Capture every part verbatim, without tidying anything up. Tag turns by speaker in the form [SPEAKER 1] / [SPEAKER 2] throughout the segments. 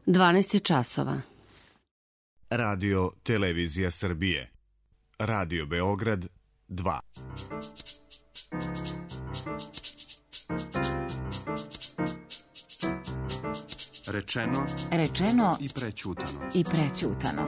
[SPEAKER 1] dvanaest je časova.
[SPEAKER 2] Radio Televizija Srbije. Radio Beograd dva.
[SPEAKER 3] Rečeno,
[SPEAKER 4] Rečeno
[SPEAKER 3] i prećutano.
[SPEAKER 4] i prećutano.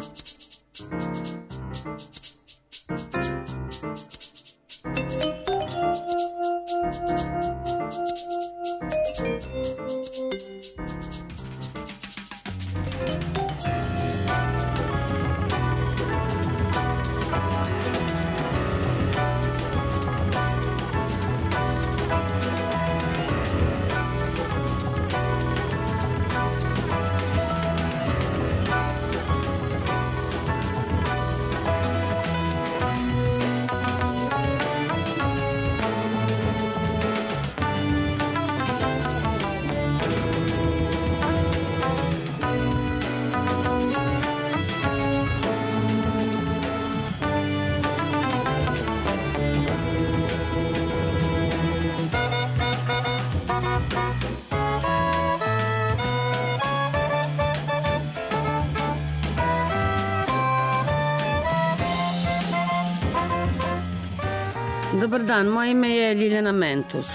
[SPEAKER 1] Dobar dan, moje ime je Ljiljana Mentus.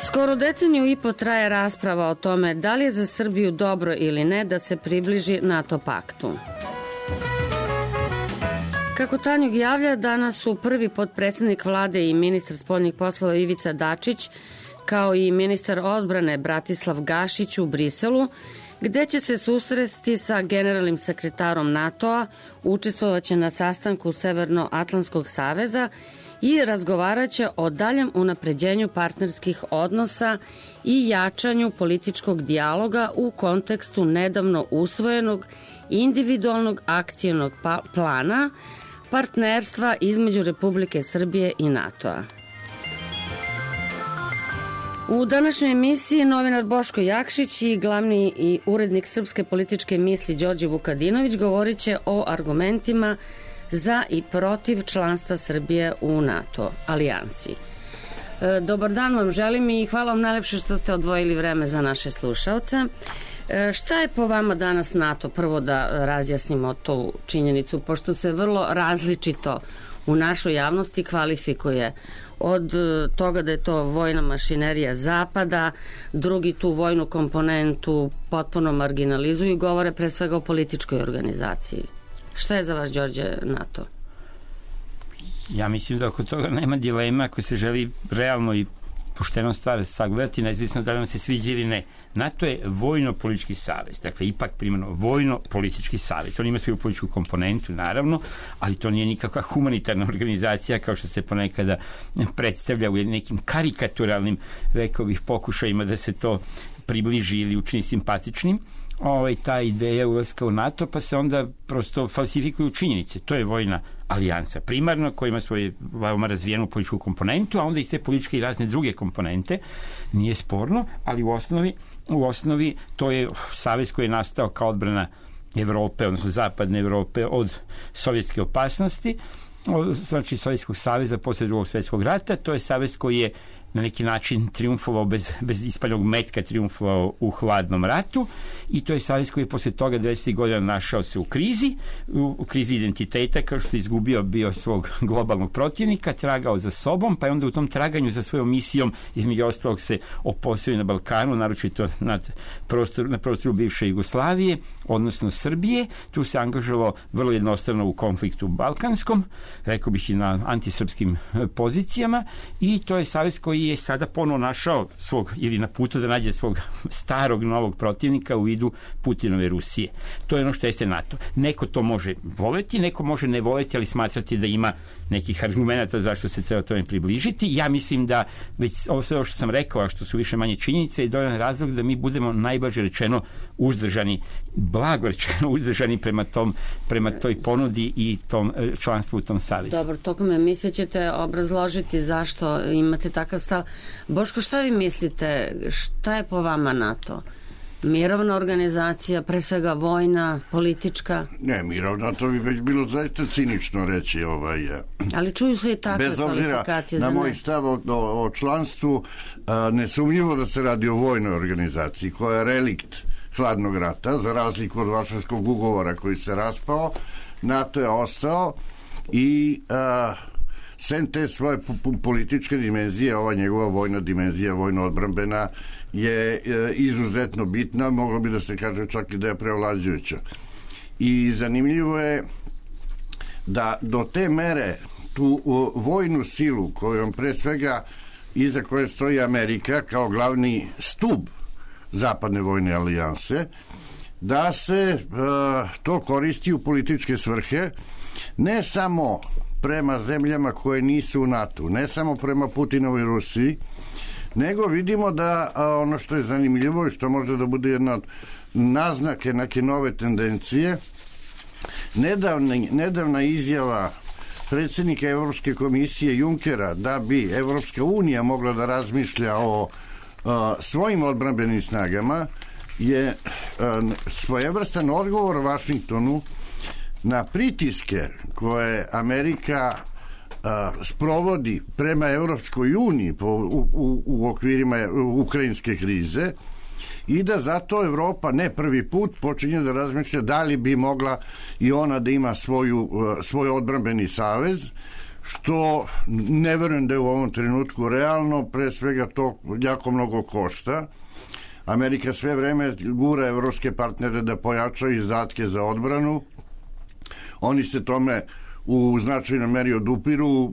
[SPEAKER 1] Skoro deceniju i po traje rasprava o tome da li je za Srbiju dobro ili ne da se približi NATO paktu. Kako Tanjug javlja, danas su prvi potpredsednik vlade i ministar spoljnih poslova Ivica Dačić, kao i ministar odbrane Bratislav Gašić u Briselu, gde će se susresti sa generalnim sekretarom NATO-a, učestvovaće na sastanku Severnoatlantskog saveza i razgovaraće o daljem unapređenju partnerskih odnosa i jačanju političkog dijaloga u kontekstu nedavno usvojenog individualnog akcionog plana partnerstva između Republike Srbije i NATO-a. U današnjoj emisiji novinar Boško Jakšić i glavni i urednik Srpske političke misli Đorđe Vukadinović govorit će o argumentima za i protiv članstva Srbije u NATO alijansi. E, dobar dan vam želim i hvala vam najlepše što ste odvojili vreme za naše slušalce. E, šta je po vama danas NATO? Prvo da razjasnimo tu činjenicu, pošto se vrlo različito u našoj javnosti kvalifikuje. Od toga da je to vojna mašinerija Zapada, drugi tu vojnu komponentu potpuno marginalizuju i govore pre svega o političkoj organizaciji. Šta je za vas, Đorđe, NATO?
[SPEAKER 5] Ja mislim da oko toga nema dilema ako se želi realno i pošteno stvar sagledati, nezavisno da li vam se sviđa ili ne. NATO je vojno-politički savez, dakle ipak primarno vojno-politički savez. On ima svoju političku komponentu, naravno, ali to nije nikakva humanitarna organizacija kao što se ponekada predstavlja u nekim karikaturalnim, rekao bih, pokušajima da se to približi ili učini simpatičnim. Ovaj, ta ideja ulaska u NATO, pa se onda prosto falsifikuju činjenice. To je vojna alijansa primarno, koja ima svoju veoma razvijenu političku komponentu, a onda i te političke i razne druge komponente, nije sporno, ali u osnovi, u osnovi to je savez koji je nastao kao odbrana Evrope, odnosno zapadne Evrope od sovjetske opasnosti, znači Sovjetskog saveza posle drugog svjetskog rata. To je savez koji je na neki način triumfovao bez, bez ispaljenog metka, triumfovao u hladnom ratu, i to je savez koji je posle toga devedesetih godina našao se u krizi, u, u krizi identiteta, kao što je izgubio bio svog globalnog protivnika, tragao za sobom, pa je onda u tom traganju za svojom misijom između ostalog se oposio na Balkanu, naročito nad prostor, na prostoru bivše Jugoslavije, odnosno Srbije. Tu se angažovao vrlo jednostavno u konfliktu balkanskom, rekao bih i na antisrpskim pozicijama, i to je savez koji je sada ponovo našao svog, ili na putu da nađe svog starog novog protivnika u vidu Putinove Rusije. To je ono što jeste NATO. Neko to može voleti, neko može ne voleti, ali smatrati da ima nekih argumenta zašto se treba tome približiti. Ja mislim da već ovo sve što sam rekao, a što su više manje činjenice, je dovoljan razlog da mi budemo najblaže rečeno uzdržani, blago rečeno uzdržani prema tom, prema toj ponudi i tom članstvu u tom savezu.
[SPEAKER 1] Dobro, tokom emisije ćete obrazložiti zašto imate takav stav. Boško, šta vi mislite, šta je po vama NATO? Mirovna organizacija, pre svega vojna, politička?
[SPEAKER 6] Ne, mirovna, to bi već bilo zaista cinično reći. Ovaj,
[SPEAKER 1] ali čuju se i takve
[SPEAKER 6] bez
[SPEAKER 1] kvalifikacije za
[SPEAKER 6] na
[SPEAKER 1] ne.
[SPEAKER 6] moj stav o, o članstvu, a, nesumnjivo da se radi o vojnoj organizaciji koja je relikt hladnog rata, za razliku od Varšavskog ugovora koji se raspao. NATO je ostao i a, sem te svoje političke dimenzije, ova njegova vojna dimenzija, vojno-odbrambena je e, izuzetno bitna, moglo bi da se kaže čak i da je preovlađujuća. I zanimljivo je da do te mere tu o, vojnu silu kojom pre svega iza koje stoji Amerika kao glavni stub zapadne vojne alijanse, da se e, to koristi u političke svrhe, ne samo prema zemljama koje nisu u NATO, ne samo prema Putinovoj Rusiji, nego vidimo da a, ono što je zanimljivo i što može da bude jedna od naznake neke nove tendencije, nedavna, nedavna izjava predsjednika Evropske komisije Junckera da bi Evropska unija mogla da razmišlja o a, svojim odbrambenim snagama je a, svojevrstan odgovor Vašingtonu na pritiske koje Amerika a, sprovodi prema Evropskoj uniji po, u, u, u okvirima ukrajinske krize i da zato Evropa ne prvi put počinje da razmišlja da li bi mogla i ona da ima svoju, svoj odbrambeni savez, što ne verujem da je u ovom trenutku realno, pre svega to jako mnogo košta. Amerika sve vreme gura evropske partnere da pojačaju izdatke za odbranu. Oni se tome u značajnoj meri odupiru uh,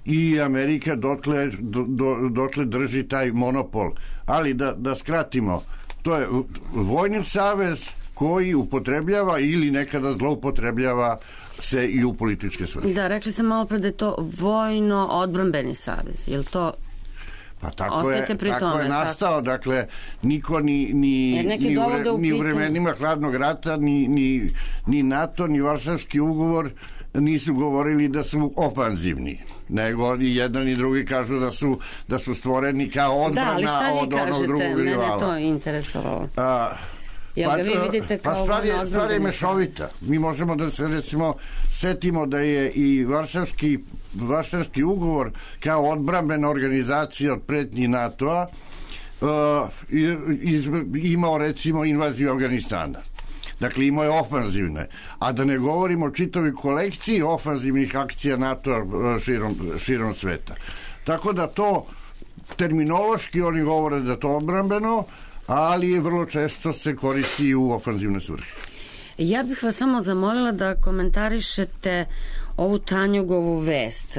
[SPEAKER 6] i Amerika dotle, do, do, dotle drži taj monopol. Ali da, da skratimo, to je vojni savez koji upotrebljava ili nekada zloupotrebljava se i u političke svrhe.
[SPEAKER 1] Da, rekli ste malo pre da je to vojno-odbrambeni savez. Je li to...
[SPEAKER 6] Pa tako je, tako tome, je nastao, tako. Dakle, niko ni, ni, ni, u, vre, ni u vremenima hladnog rata, ni, ni, ni NATO, ni Varšavski ugovor nisu govorili da su ofanzivni, nego i jedan i drugi kažu da su, da su stvoreni kao odbrana da, od onog drugog rivala.
[SPEAKER 1] Mene to interesovalo.
[SPEAKER 6] A,
[SPEAKER 1] Jel ga vi vidite kao
[SPEAKER 6] pa stvar je, stvar je mešovita. Mi možemo da se recimo setimo da je i Varšavski, Varšavski ugovor kao odbrambena organizacija od pretnji NATO-a uh, iz, imao recimo invaziju Afganistana. Dakle, imao je ofanzivne. A da ne govorimo o čitavoj kolekciji ofanzivnih akcija NATO-a širom, širom sveta. Tako da to terminološki oni govore da to odbrambeno, ali vrlo često se koristi u ofanzivne svrhe.
[SPEAKER 1] Ja bih vas samo zamolila da komentarišete ovu Tanjugovu vest.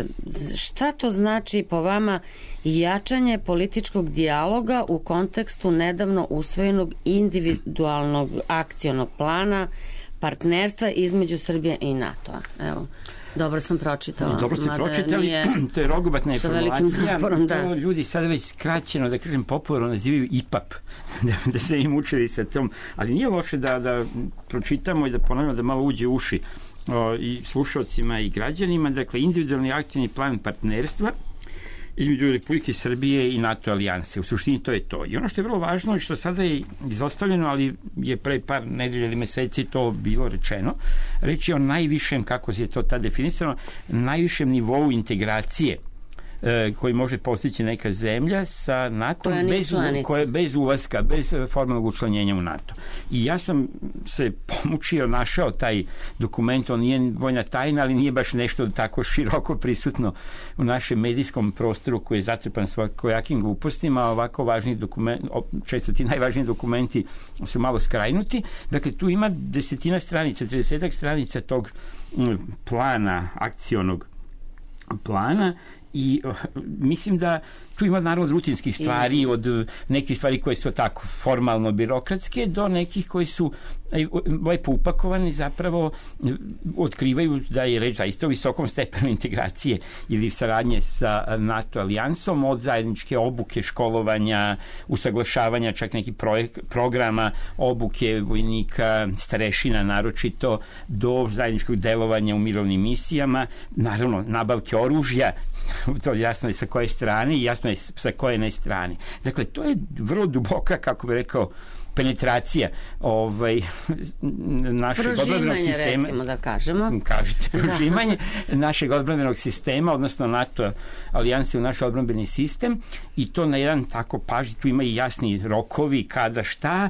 [SPEAKER 1] Šta to znači po vama jačanje političkog dijaloga u kontekstu nedavno usvojenog individualnog akcionog plana partnerstva između Srbije i NATO-a? Evo, dobro sam pročitala.
[SPEAKER 5] Dobro ste pročitali, nije... to je rogobatna informacija. Naporom, da. To ljudi sada već skraćeno, da kažem, popularno nazivaju I P A P, da, da se im učili sa tom, ali nije loše da, da pročitamo i da ponavljamo da malo uđe u uši o, i slušalcima i građanima. Dakle, individualni akcijni plan partnerstva između Republike Srbije i NATO alijanse. U suštini to je to. I ono što je vrlo važno i što sada je izostavljeno, ali je pre par nedelja ili meseci to bilo rečeno, reč je o najvišem, kako je to tad definisano, najvišem nivou integracije koji može postići neka zemlja sa NATO bez, koje, bez ulaska, bez formalnog učlanjenja u NATO. I ja sam se pomučio, našao taj dokument, on nije vojna tajna, ali nije baš nešto tako široko prisutno u našem medijskom prostoru koji je zatrpan svakojakim glupostima, ovako važni dokumenti, često ti najvažniji dokumenti su malo skrajnuti. Dakle, tu ima desetina stranica, tridesetak stranica tog plana, akcionog plana, i uh, mislim da tu ima naravno rutinskih stvari, od nekih stvari koje su tako formalno birokratske do nekih koji su lepo upakovani, zapravo otkrivaju da je reč zaista o visokom stepenu integracije ili saradnje sa NATO alijansom, od zajedničke obuke, školovanja, usaglašavanja čak nekih projek, programa obuke vojnika, starešina naročito, do zajedničkog delovanja u mirovnim misijama, naravno nabavke oružja, to jasno je sa koje strane i jasno je sa koje ne strane. Dakle, to je vrlo duboka, kako bih rekao, penetracija ovaj, našeg odbrambenog sistema.
[SPEAKER 1] Prožimanje, recimo da kažemo.
[SPEAKER 5] Kažete, prožimanje da. našeg odbrambenog sistema, odnosno NATO alijanse u naš odbrambeni sistem, i to na jedan tako pažnji, tu ima i jasni rokovi kada šta,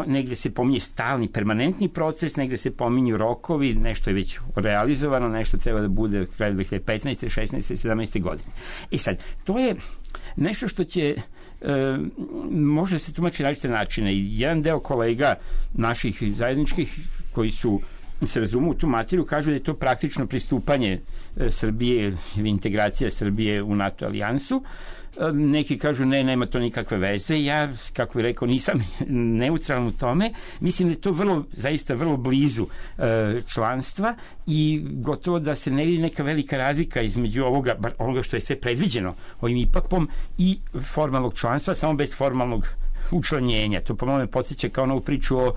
[SPEAKER 5] negde se pominje stalni, permanentni proces, negde se pominju rokovi, nešto je već realizovano, nešto treba da bude kraj dve hiljade petnaeste, šesnaeste, sedamnaeste godine. I sad, to je nešto što će E, može se tumačiti na različite načine. I jedan deo kolega naših zajedničkih koji su se razumu u tu materiju kažu da je to praktično pristupanje e, Srbije ili integracija Srbije u NATO alijansu. E, neki kažu ne, nema to nikakve veze. Ja, kako bih rekao, nisam neutralan u tome. Mislim da je to vrlo, zaista vrlo blizu e, članstva i gotovo da se ne vidi neka velika razlika između ovoga, onoga što je sve predviđeno ovim I P A P-om i formalnog članstva, samo bez formalnog učlanjenja. To po mome podsjeća kao novu priču o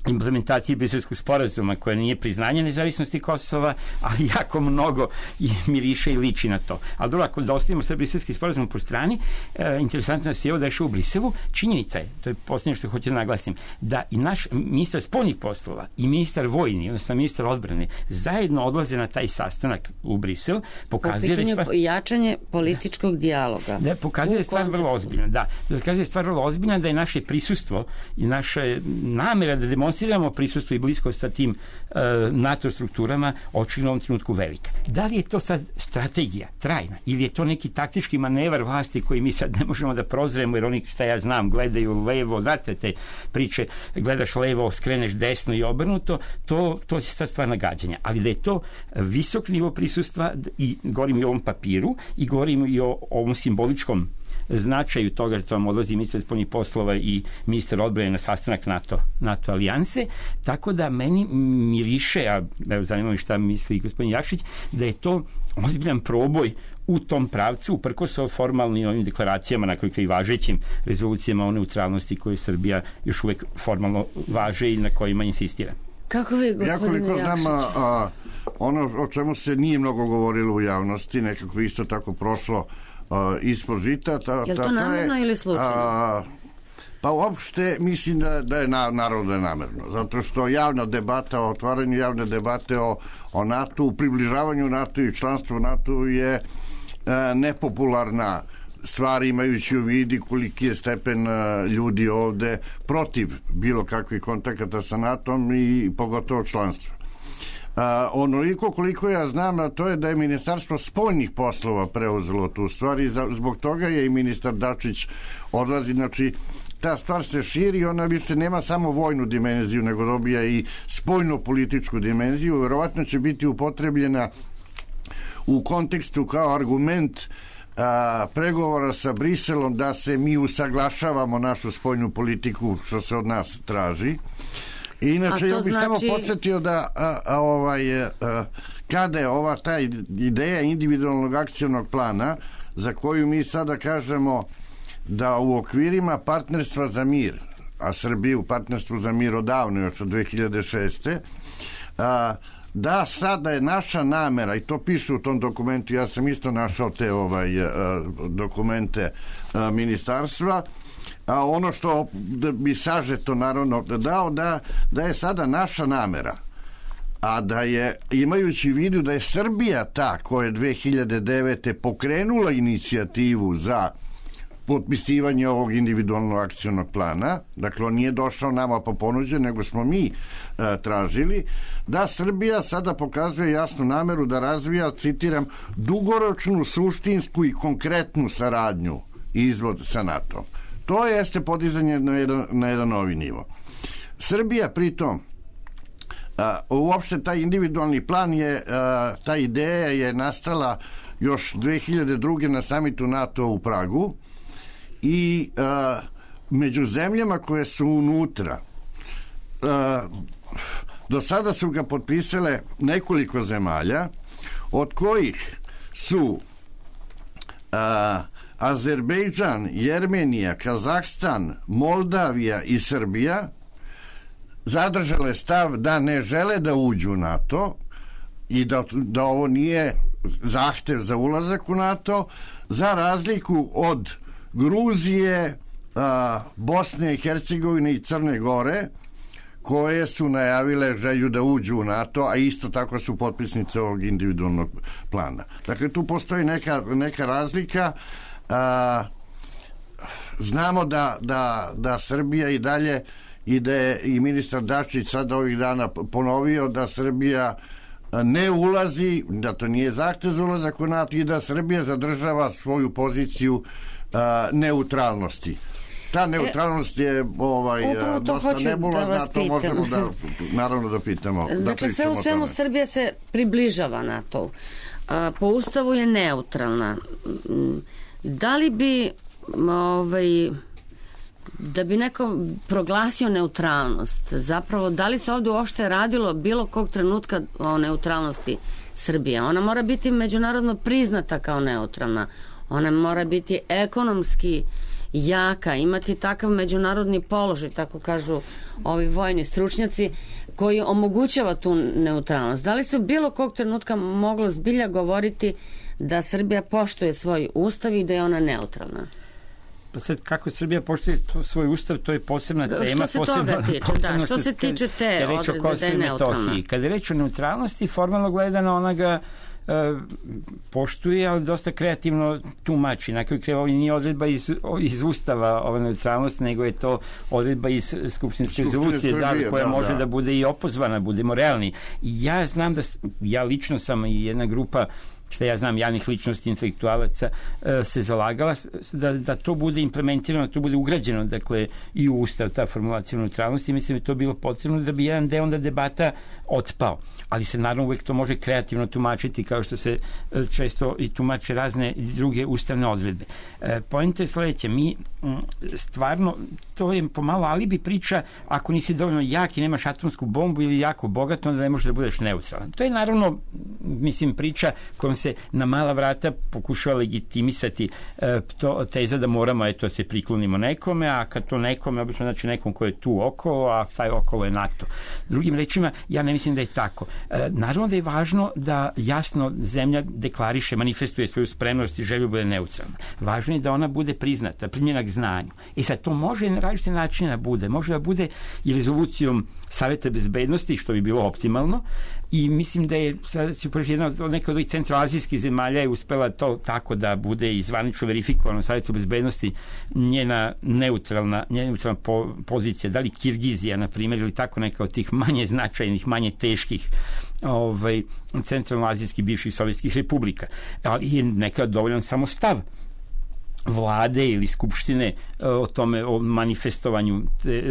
[SPEAKER 5] implementaciji Briselskog sporazuma, koja nije priznanje nezavisnosti Kosova, ali jako mnogo i miriše i liči na to. Ali dobro, ako da ostavimo sve Briselski sporazum po strani, e, interesantno je da se evo dešao u Briselu. Činjenica je, to je posljednje što hoću da naglasim, da i naš ministar spoljnih poslova i ministar vojni, odnosno ministar odbrane, zajedno odlaze na taj sastanak u Brisel. Pokazuje
[SPEAKER 1] po pitanju
[SPEAKER 5] da stvar,
[SPEAKER 1] jačanje političkog dijaloga.
[SPEAKER 5] Da, pokazuje da je stvar vrlo ozbiljna. Da, da pokazuje da je stvar vrlo ozbiljna, da je naše prisustvo i naša namera da demonstriramo prisustvo i blisko sa tim uh, NATO strukturama očigledno u ovom trenutku velika. Da li je to sad strategija trajna ili je to neki taktički manevar vlasti koji mi sad ne možemo da prozremo, jer oni, šta ja znam, gledaju levo, znate te priče, gledaš levo, skreneš desno i obrnuto, to, to je sad stvar nagađanja. Ali da je to visok nivo prisustva, i govorim i o ovom papiru i govorim i o ovom simboličkom značaju toga, jer to vam odlazi ministar spoljnih poslova i ministar odbrane na sastanak NATO, NATO alijanse, tako da meni miriše, a evo zanima mi šta misli gospodin Jakšić, da je to ozbiljan proboj u tom pravcu, uprkos o formalnim ovim deklaracijama, na kojoj i važećim rezolucijama o neutralnosti koje Srbija još uvek formalno važe i na kojima insistira.
[SPEAKER 1] Kako vi, gospodine Jakšić?
[SPEAKER 6] Ja znam, a, ono o čemu se nije mnogo govorilo u javnosti, nekako isto tako prošlo Uh, ispod žita. Ta,
[SPEAKER 1] je li to namerno ili slučajno? A,
[SPEAKER 6] pa uopšte mislim da, da je na, naravno da je namerno. Zato što javna debata, o otvaranju javne debate o, o NATO, u približavanju NATO i članstvu NATO je a, nepopularna stvar, imajući u vidi koliki je stepen a, ljudi ovde protiv bilo kakvih kontakata sa NATO-om i pogotovo članstva. Uh, onoliko koliko ja znam, a to je da je Ministarstvo spoljnih poslova preuzelo tu stvar i za, zbog toga je i ministar Dačić odlazi. Znači, ta stvar se širi, ona više nema samo vojnu dimenziju, nego dobija i spoljno-političku dimenziju. Verovatno će biti upotrebljena u kontekstu kao argument a, pregovora sa Briselom da se mi usaglašavamo našu spoljnu politiku, što se od nas traži. Inače, ja bih znači... samo podsjetio da a, a, ovaj, a, kada je ova ta ideja individualnog akcionog plana, za koju mi sada kažemo da u okvirima partnerstva za mir, a Srbija u partnerstvu za mir odavno, još od dve hiljade šeste. A, da sada je naša namera, i to piše u tom dokumentu, ja sam isto našao te ovaj, a, dokumente a, ministarstva, a ono što bi sažeto naravno dao, da, da je sada naša namera, a da je, imajući u vidu da je Srbija ta koja je dve hiljade devete pokrenula inicijativu za potpisivanje ovog individualnog akcionog plana, dakle on nije došao nama po ponuđe, nego smo mi e, tražili, da Srbija sada pokazuje jasnu nameru da razvija, citiram, dugoročnu, suštinsku i konkretnu saradnju i izvod sa NATO. To jeste podizanje na jedan, na jedan novi nivo. Srbija pritom, a, uopšte taj individualni plan je, a, ta ideja je nastala još dve hiljade druge na samitu NATO u Pragu i a, među zemljama koje su unutra, a, do sada su ga potpisale nekoliko zemalja, od kojih su a, Azerbejdžan, Jermenija, Kazahstan, Moldavija i Srbija zadržale stav da ne žele da uđu u NATO i da, da ovo nije zahtev za ulazak u NATO, za razliku od Gruzije, a, Bosne i Hercegovine i Crne Gore, koje su najavile želju da uđu u NATO, a isto tako su potpisnice ovog individualnog plana. Dakle, tu postoji neka, neka razlika. A, znamo da, da, da Srbija i dalje ide, i ministar Dačić sada ovih dana ponovio da Srbija ne ulazi, da to nije zahtev za ulazak u NATO i da Srbija zadržava svoju poziciju a, neutralnosti. Ta neutralnost je ovaj,
[SPEAKER 1] Upravo to
[SPEAKER 6] dosta
[SPEAKER 1] hoću da
[SPEAKER 6] nebulozna,
[SPEAKER 1] vas
[SPEAKER 6] to
[SPEAKER 1] pitam.
[SPEAKER 6] možemo da, naravno da pitamo. Da
[SPEAKER 1] Dakle, sve
[SPEAKER 6] pričamo
[SPEAKER 1] u
[SPEAKER 6] o
[SPEAKER 1] svemu
[SPEAKER 6] tome.
[SPEAKER 1] Srbija se približava NATO. A, po Ustavu je neutralna. Mm, Da li bi ovaj, da bi neko proglasio neutralnost, zapravo da li se ovde uopšte radilo bilo kog trenutka o neutralnosti Srbije? Ona mora biti međunarodno priznata kao neutralna. Ona mora biti ekonomski jaka, imati takav međunarodni položaj, tako kažu ovi vojni stručnjaci, koji omogućava tu neutralnost. Da li se bilo kog trenutka moglo zbilja govoriti da Srbija poštuje svoj ustav i da je ona neutralna?
[SPEAKER 5] Pa sad, kako Srbija poštuje svoj ustav, to je posebna tema.
[SPEAKER 1] Što se toga tiče, da, što se tiče te odredbe da je neutralna.
[SPEAKER 5] Kada je reč o neutralnosti, formalno gledano ona ga e, poštuje, ali dosta kreativno tumači. Na kraju krajeva, ovo nije odredba iz, iz ustava ova neutralnost, nego je to odredba iz skupštinske rezolucije, da, koja
[SPEAKER 6] da,
[SPEAKER 5] može da.
[SPEAKER 6] da
[SPEAKER 5] bude i opozvana, budemo realni. I ja znam da, ja lično sam i jedna grupa, što ja znam, javnih ličnosti, intelektualaca, se zalagala da, da to bude implementirano, da to bude ugrađeno, dakle, i u ustav, ta formulacija neutralnosti. Mislim da je to bilo potrebno da bi jedan deo onda debata otpao. Ali se naravno uvek to može kreativno tumačiti, kao što se često i tumače razne druge ustavne odredbe. Poenta je sledeća, mi stvarno, to je pomalo alibi priča, ako nisi dovoljno jak i nemaš atomsku bombu ili jako bogat, onda ne možeš da budeš neutralan. To je naravno, mislim, priča kojom se na mala vrata pokušava legitimisati e, to, teza da moramo, eto, se priklonimo nekome, a kad to nekome, obično znači nekom ko je tu okolo, a taj okolo je NATO. Drugim rečima, ja ne mislim da je tako. E, naravno da je važno da jasno zemlja deklariše, manifestuje svoju spremnost i želju bude neutralna. Važno je da ona bude priznata, primljena k znanju. I sad to može na različite načine da bude. Može da bude i rezolucijom Saveta bezbednosti, što bi bilo optimalno, i mislim da je sad ću preći jedna od neka od ovih centroazijskih zemalja je uspela to tako da bude i zvanično verifikovano u Savetu bezbednosti njena neutralna, njena neutralna po, pozicija, da li Kirgizija, na primjer, ili tako neka od tih manje značajnih, manje teških ovaj, centralnoazijskih bivših sovjetskih republika. Ali je neka dovoljan samo stav vlade ili skupštine o tome, o manifestovanju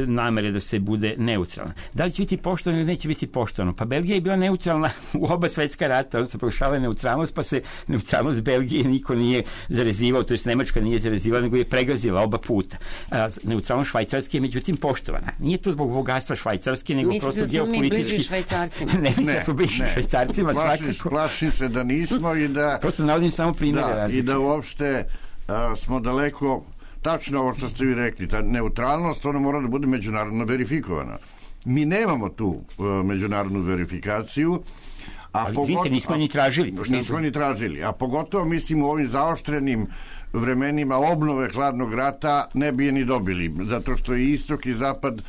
[SPEAKER 5] namere da se bude neutralna. Da li će biti poštovano ili neće biti poštovano? Pa Belgija je bila neutralna u oba svetska rata, onda se proglašavala neutralnost, pa se neutralnost Belgije niko nije zarezivao, to jest Nemačka nije zarezivala, nego je pregazila oba puta. A, neutralnost Švajcarske je međutim poštovana. Nije to zbog bogatstva Švajcarske, nego
[SPEAKER 1] mislim
[SPEAKER 5] prosto
[SPEAKER 1] da
[SPEAKER 5] geopolitički.
[SPEAKER 1] Mi bliži Švajcarcima.
[SPEAKER 5] ne, mislim da smo bliži Švajcarcima.
[SPEAKER 6] Plašim, plašim se da nismo i da...
[SPEAKER 5] Prosto navodim samo primjere
[SPEAKER 6] da,
[SPEAKER 5] različite.
[SPEAKER 6] I da uopšte a, smo daleko, tačno ovo što ste vi rekli, ta neutralnost, ona mora da bude međunarodno verifikovana. Mi nemamo tu uh, međunarodnu verifikaciju, a
[SPEAKER 5] ali
[SPEAKER 6] pogotovo,
[SPEAKER 5] vidite, nismo ni tražili.
[SPEAKER 6] Nismo ni tražili, a pogotovo mislim u ovim zaoštrenim vremenima obnove hladnog rata ne bi je ni dobili, zato što i istok i zapad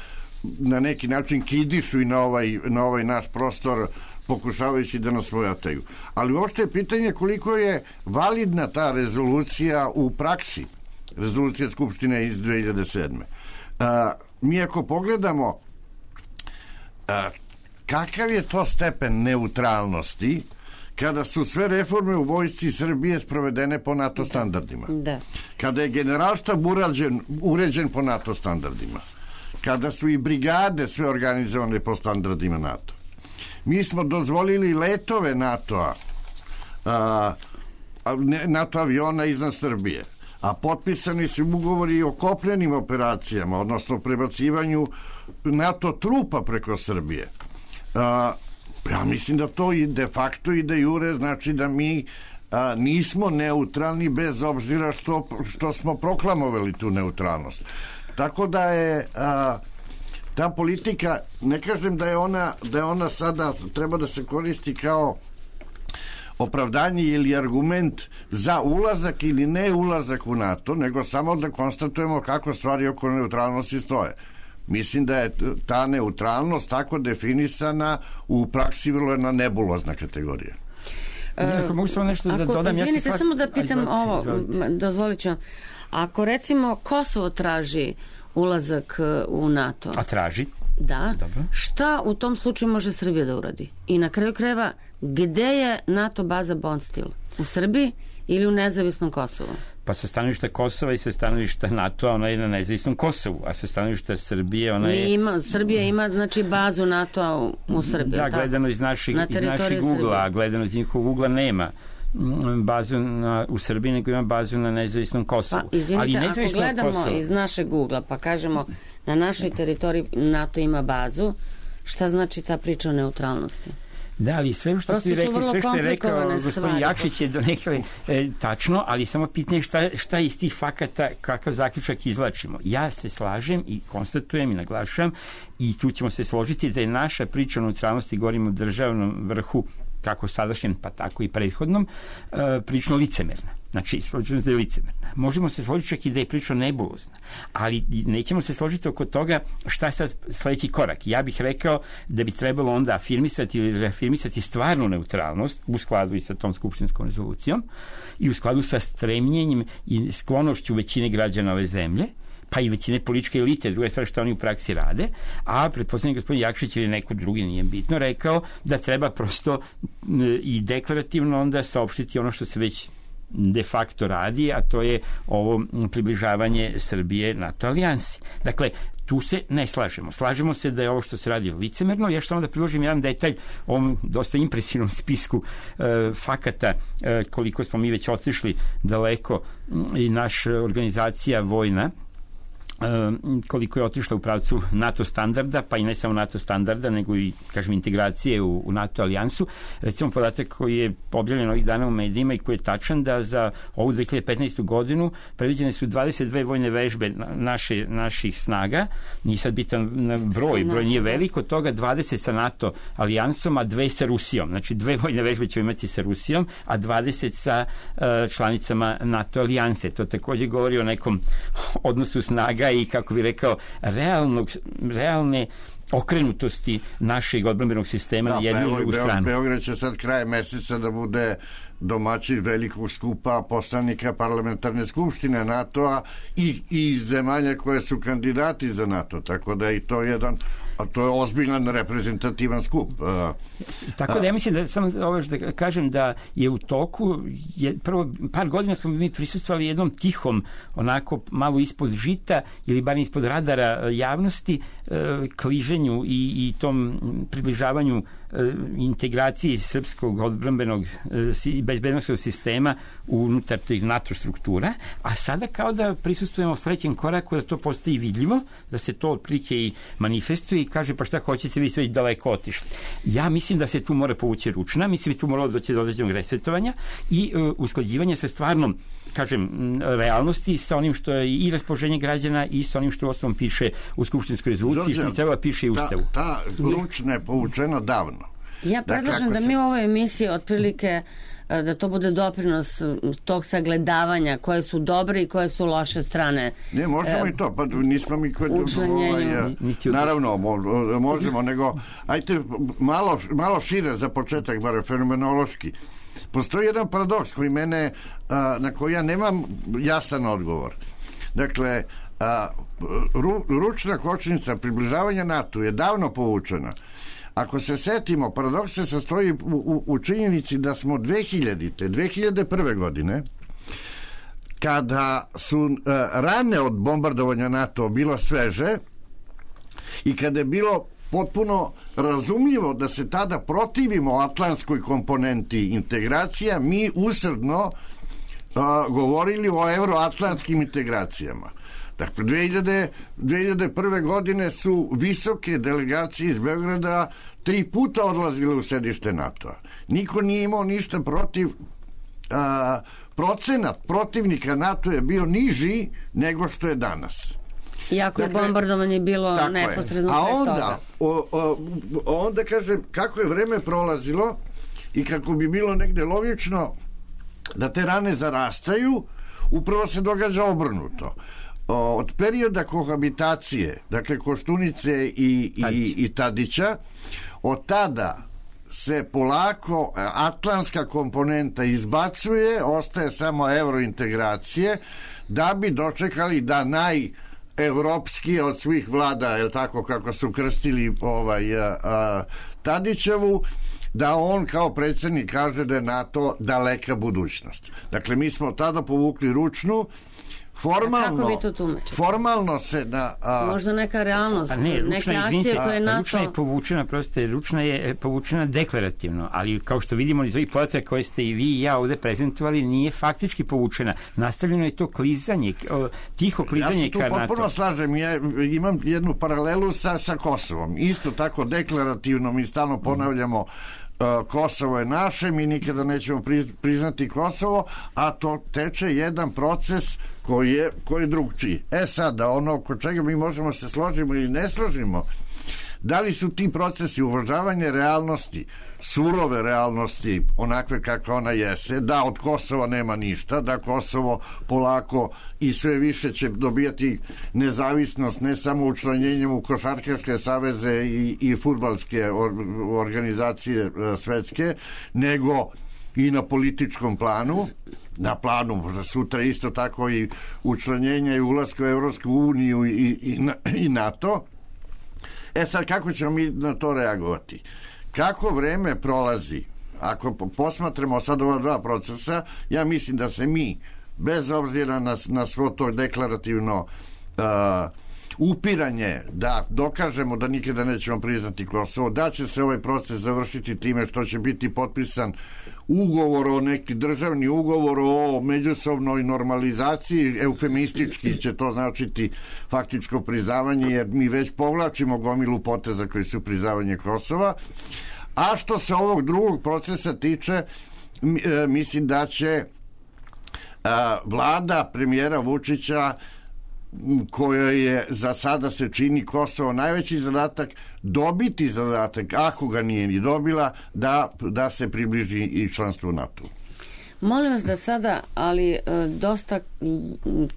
[SPEAKER 6] na neki način kidišu i na ovaj, na ovaj naš prostor, pokušavajući da nas svojataju. Ali uopšte je pitanje koliko je validna ta rezolucija u praksi. Rezolucija Skupštine iz dve hiljade sedme. A, mi ako pogledamo a, kakav je to stepen neutralnosti kada su sve reforme u vojsci Srbije sprovedene po NATO standardima.
[SPEAKER 1] Da.
[SPEAKER 6] Kada je generalštab uređen, uređen po NATO standardima. Kada su i brigade sve organizovane po standardima NATO. Mi smo dozvolili letove NATO-a, a, NATO aviona iznad Srbije, a potpisani su ugovori o kopnenim operacijama, odnosno prebacivanju NATO trupa preko Srbije. A, ja mislim da to i de facto i de jure znači da mi a, nismo neutralni bez obzira što, što smo proklamovali tu neutralnost. Tako da je... A, ta politika, ne kažem da je ona da je ona sada treba da se koristi kao opravdanje ili argument za ulazak ili ne ulazak u NATO, nego samo da konstatujemo kako stvari oko neutralnosti stoje. Mislim da je ta neutralnost tako definisana u praksi vrlo jedna nebulozna kategorija.
[SPEAKER 5] Ako mogu samo nešto da dodam,
[SPEAKER 1] izvinite,
[SPEAKER 5] ja se
[SPEAKER 1] samo da pitam ovo, dozvolit ću vam. Ako recimo Kosovo traži ulazak u NATO.
[SPEAKER 5] A traži?
[SPEAKER 1] Da. Dobro. Šta u tom slučaju može Srbija da uradi? I na kraju krajeva, gde je NATO baza Bondstil? U Srbiji ili u nezavisnom Kosovu?
[SPEAKER 5] Pa sa stanovišta Kosova i sa stanovišta NATO-a ona je na nezavisnom Kosovu, a sa stanovišta Srbije ona je...
[SPEAKER 1] Ima, Srbija ima znači bazu NATO-a u, u Srbiji.
[SPEAKER 5] Da, gledano iz naših, iz naših ugla, a gledano iz njihovog ugla nema bazu na, u Srbiji, nego ima bazu na nezavisnom Kosovu.
[SPEAKER 1] Pa, izvinite, ali ako gledamo Kosova, iz našeg ugla, pa kažemo na našoj teritoriji NATO ima bazu, šta znači ta priča o neutralnosti?
[SPEAKER 5] Da, ali sve što ste rekli, sve što je rekao gospodin Jakšić je do neke e, tačno, ali samo pitanje šta, šta iz tih fakata, kakav zaključak izvlačimo. Ja se slažem i konstatujem i naglašavam i tu ćemo se složiti da je naša priča o neutralnosti, govorimo o državnom vrhu, kako sadašnjem, pa tako i prethodnom, e, prilično licemerna. Znači, složimo se da je licemerna. Možemo se složiti čak i da je prilično nebulozna, ali nećemo se složiti oko toga šta je sad sledeći korak. Ja bih rekao da bi trebalo onda afirmisati ili reafirmisati stvarnu neutralnost u skladu i sa tom skupštinskom rezolucijom i u skladu sa stremljenjem i sklonošću većine građana ove zemlje, pa i većine političke elite, druga stvar što oni u praksi rade, a pretpostavljam gospodin Jakšić ili neko drugi, nije bitno, rekao da treba prosto i deklarativno onda saopštiti ono što se već de facto radi, a to je ovo približavanje Srbije NATO alijansi. Dakle, tu se ne slažemo. Slažemo se da je ovo što se radi licemerno. Ja samo da priložim jedan detalj o ovom dosta impresivnom spisku e, fakata e, koliko smo mi već otišli daleko i naša organizacija vojna koliko je otišla u pravcu NATO standarda, pa i ne samo NATO standarda, nego i, kažem, integracije u, u NATO alijansu. Recimo, podatak koji je objavljen ovih dana u medijima i koji je tačan da za ovu dve hiljade petnaestu godinu predviđene su dvadeset dve vojne vežbe naše, naših snaga. Nije sad bitan broj, broj nije velik, od toga dvadeset sa NATO alijansom, a dve sa Rusijom. Znači, dve vojne vežbe ćemo imati sa Rusijom, a dvadeset sa uh, članicama NATO alijanse. To takođe govori o nekom odnosu snaga i, kako bih rekao, realnog, realne okrenutosti našeg odbrambenog sistema da, na jednu i drugu stranu.
[SPEAKER 6] Beograd će sad kraj meseca da bude domaćin velikog skupa poslanika parlamentarne skupštine NATO-a i, i zemalja koje su kandidati za NATO, tako da i to je jedan, a to je ozbiljan reprezentativan skup.
[SPEAKER 5] Tako da ja mislim da samo ovo da kažem da je u toku je, prvo par godina smo mi prisustvovali jednom tihom, onako malo ispod žita ili bar ispod radara javnosti kliženju i, i tom približavanju integraciji srpskog odbrambenog i bezbednosnog sistema unutar tih NATO struktura, a sada kao da prisustujemo sledećem koraku da to postoji vidljivo, da se to otprilike i manifestuje i kaže pa šta hoćete, vi sve već daleko otišli. Ja mislim da se tu mora povući ručna, mislim da tu mora doći do određenog resetovanja i uh, usklađivanja sa stvarnom, kažem, realnosti sa onim što je i raspoloženje građana i sa onim što u osnovom piše u skupštinskoj rezoluciji, što treba piše i u Ustavu.
[SPEAKER 6] Ta, ta ručna je povučena davno.
[SPEAKER 1] Ja predlažem dakle, da mi u ovoj emisiji otprilike da to bude doprinos tog sagledavanja koje su dobre i koje su loše strane.
[SPEAKER 6] Ne, možemo e, i to, pa nismo mi kod ovaj, naravno možemo, nego ajte malo, malo šire za početak, bar fenomenološki. Postoji jedan paradoks koji mene, na koji ja nemam jasan odgovor. Dakle, ru, ručna kočnica približavanja NATO je davno povučena. Ako se setimo, paradoks se sastoji u, u, u činjenici da smo dve hiljadite, dve hiljade prve godine, kada su uh, rane od bombardovanja NATO bilo sveže i kada je bilo potpuno razumljivo da se tada protivimo atlantskoj komponenti integracija, mi usrdno uh, govorili o euroatlantskim integracijama. Dakle, dve hiljade prve godine su visoke delegacije iz Beograda tri puta odlazile u sedište NATO-a. Niko nije imao ništa protiv, a, procenat protivnika NATO je bio niži nego što je danas.
[SPEAKER 1] Iako dakle, je bombardovanje bilo neposredno
[SPEAKER 6] pre toga. A onda, o, o, onda kažem, kako je vreme prolazilo, i kako bi bilo negde logično da te rane zarastaju, upravo se događa obrnuto. Od perioda kohabitacije, dakle Koštunice i, i, i Tadića, od tada se polako atlantska komponenta izbacuje, ostaje samo eurointegracije, da bi dočekali da najevropski od svih vlada, je tako kako su krstili ovaj, a, a, Tadićevu, da on kao predsjednik kaže da je NATO daleka budućnost. Dakle, mi smo tada povukli ručnu. Formalno, formalno se na... A...
[SPEAKER 1] Možda neka realnost, ne, ručna, neke akcije koje je NATO...
[SPEAKER 5] Ručna je povučena, proste, ručna je povučena deklarativno, ali kao što vidimo iz ovih podataka koje ste i vi i ja ovde prezentovali, nije faktički povučena. Nastavljeno je to klizanje, tiho klizanje ka NATO.
[SPEAKER 6] Ja se tu potpuno slažem, ja imam jednu paralelu sa, sa Kosovom. Isto tako deklarativno mi stalno ponavljamo Kosovo je naše, mi nikada nećemo priznati Kosovo, a to teče jedan proces koji je, koji je drugčiji. E sada, ono oko čega mi možemo se složimo ili ne složimo, da li su ti procesi uvažavanje realnosti, surove realnosti, onakve kakva ona jese, da od Kosova nema ništa, da Kosovo polako i sve više će dobijati nezavisnost ne samo učlanjenjem u košarkaške saveze i, i fudbalske or, organizacije svetske, nego i na političkom planu, na planu sutra isto tako i učlanjenja i ulaska u Evropsku uniju i, i, i NATO. E sad, kako ćemo mi na to reagovati? Kako vreme prolazi, ako posmatramo sad ova dva procesa, ja mislim da se mi, bez obzira na, na svo to deklarativno uh, upiranje, da dokažemo da nikada nećemo priznati Kosovo, da će se ovaj proces završiti time što će biti potpisan ugovor o neki državni ugovor o međusobnoj normalizaciji, eufemistički će to značiti faktičko priznavanje, jer mi već povlačimo gomilu poteza koji su priznavanje Kosova. A što se ovog drugog procesa tiče, mislim da će vlada premijera Vučića, koja je za sada se čini Kosovo najveći zadatak, dobiti zadatak, ako ga nije ni dobila, da, da se približi i članstvu u NATO.
[SPEAKER 1] Molim vas da sada, ali dosta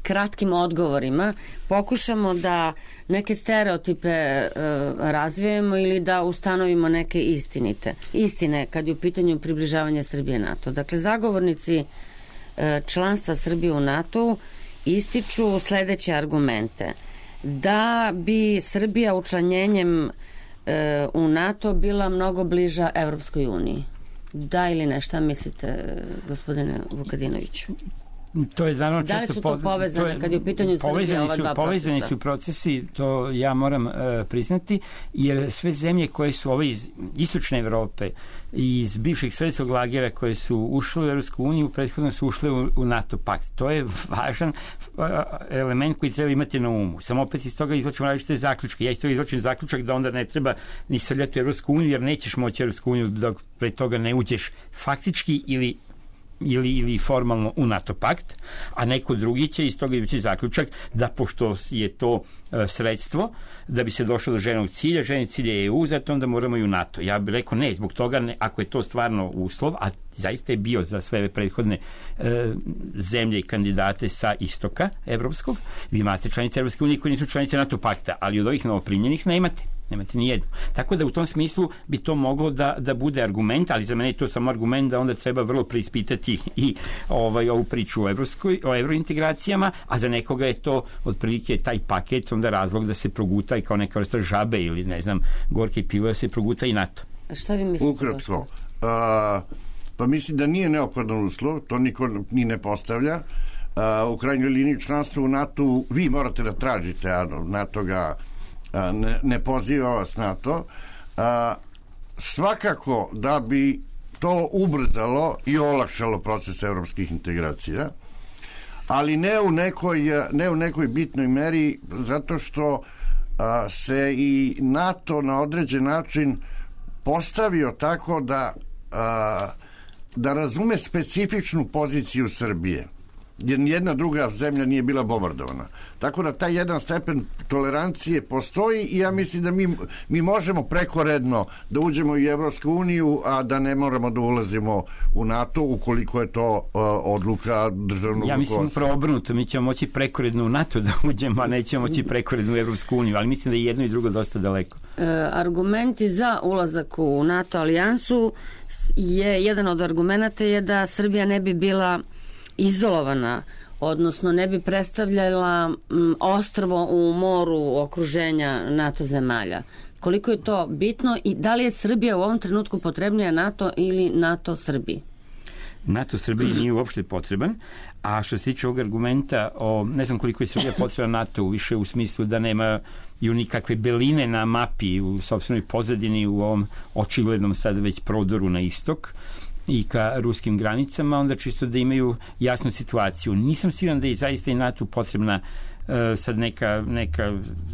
[SPEAKER 1] kratkim odgovorima, pokušamo da neke stereotipe razvijemo ili da ustanovimo neke istinite. Istine kad je u pitanju približavanja Srbije NATO. Dakle, zagovornici članstva Srbije u NATO ističu sledeće argumente. Da bi Srbija učlanjenjem e, u NATO bila mnogo bliža Evropskoj uniji. Da ili ne, šta mislite, gospodine Vukadinoviću?
[SPEAKER 5] To je naravno
[SPEAKER 1] da li su to povezane to je, kad je u pitanju Srbije ova dva
[SPEAKER 5] povezani
[SPEAKER 1] procesa?
[SPEAKER 5] Su procesi, to ja moram uh, priznati, jer sve zemlje koje su ove iz istočne Evrope i iz bivših sovjetskog lagera koje su ušle u Evropsku uniju, prethodno su ušle u, u NATO pakt. To je važan uh, element koji treba imati na umu. Samo opet iz toga izločimo različite zaključke. Ja iz toga izločim zaključak da onda ne treba ni srljati u Evropsku uniju, jer nećeš moći u Evropsku uniju dok pre toga ne uđeš faktički ili Ili, ili formalno u NATO pakt, a neko drugi će iz toga ići zaključak da pošto je to e, sredstvo da bi se došlo do željenog cilja, željeni cilj je E U, zato onda moramo i u NATO. Ja bih rekao ne, zbog toga ne, ako je to stvarno uslov, a zaista je bio za sve prethodne e, zemlje i kandidate sa istoka evropskog, vi imate članice Evropske unije koje nisu članice NATO pakta, ali od ovih novoprimljenih nemate. Nemate ni jednu. Tako da u tom smislu bi to moglo da, da bude argument, ali za mene je to samo argument da onda treba vrlo preispitati i ovaj, ovu priču o, evropskoj, o evrointegracijama, a za nekoga je to otprilike taj paket onda razlog da se proguta i kao neka vrsta žabe ili ne znam, gorke pivo da se proguta i NATO.
[SPEAKER 1] A šta vi mislite?
[SPEAKER 6] Ukratko. A, pa mislim da nije neophodan uslov, to niko ni ne postavlja. A, u krajnjoj liniji članstvo u NATO vi morate da tražite, a NATO ga Ne, ne poziva vas na to. A, svakako da bi to ubrzalo i olakšalo proces evropskih integracija, ali ne u nekoj, ne u nekoj bitnoj meri, zato što a, se i NATO na određen način postavio tako da, a, da razume specifičnu poziciju Srbije. jer nijedna druga zemlja nije bila bombardovana. Tako da taj jedan stepen tolerancije postoji i ja mislim da mi, mi možemo prekoredno da uđemo u Evropsku uniju, a da ne moramo da ulazimo u NATO ukoliko je to uh, odluka državnog
[SPEAKER 5] Ja mislim upravo obrnuto, mi ćemo moći prekoredno u NATO da uđemo, a nećemo moći prekoredno u Evropsku uniju, ali mislim da je jedno i drugo dosta daleko.
[SPEAKER 1] E, argumenti za ulazak u NATO alijansu je, jedan od argumenta je da Srbija ne bi bila izolovana, odnosno ne bi predstavljala m, ostrvo u moru okruženja NATO zemalja. Koliko je to bitno i da li je Srbija u ovom trenutku potrebnija NATO ili NATO Srbiji?
[SPEAKER 5] NATO Srbiji nije uopšte potreban, a što se tiče ovog argumenta, o, ne znam koliko je Srbija potrebna NATO, više u smislu da nema i nikakve beline na mapi u sopstvenoj pozadini u ovom očiglednom sad već prodoru na istok i ka ruskim granicama, onda čisto da imaju jasnu situaciju. Nisam siguran da je zaista i NATO potrebna uh, sad neka, neka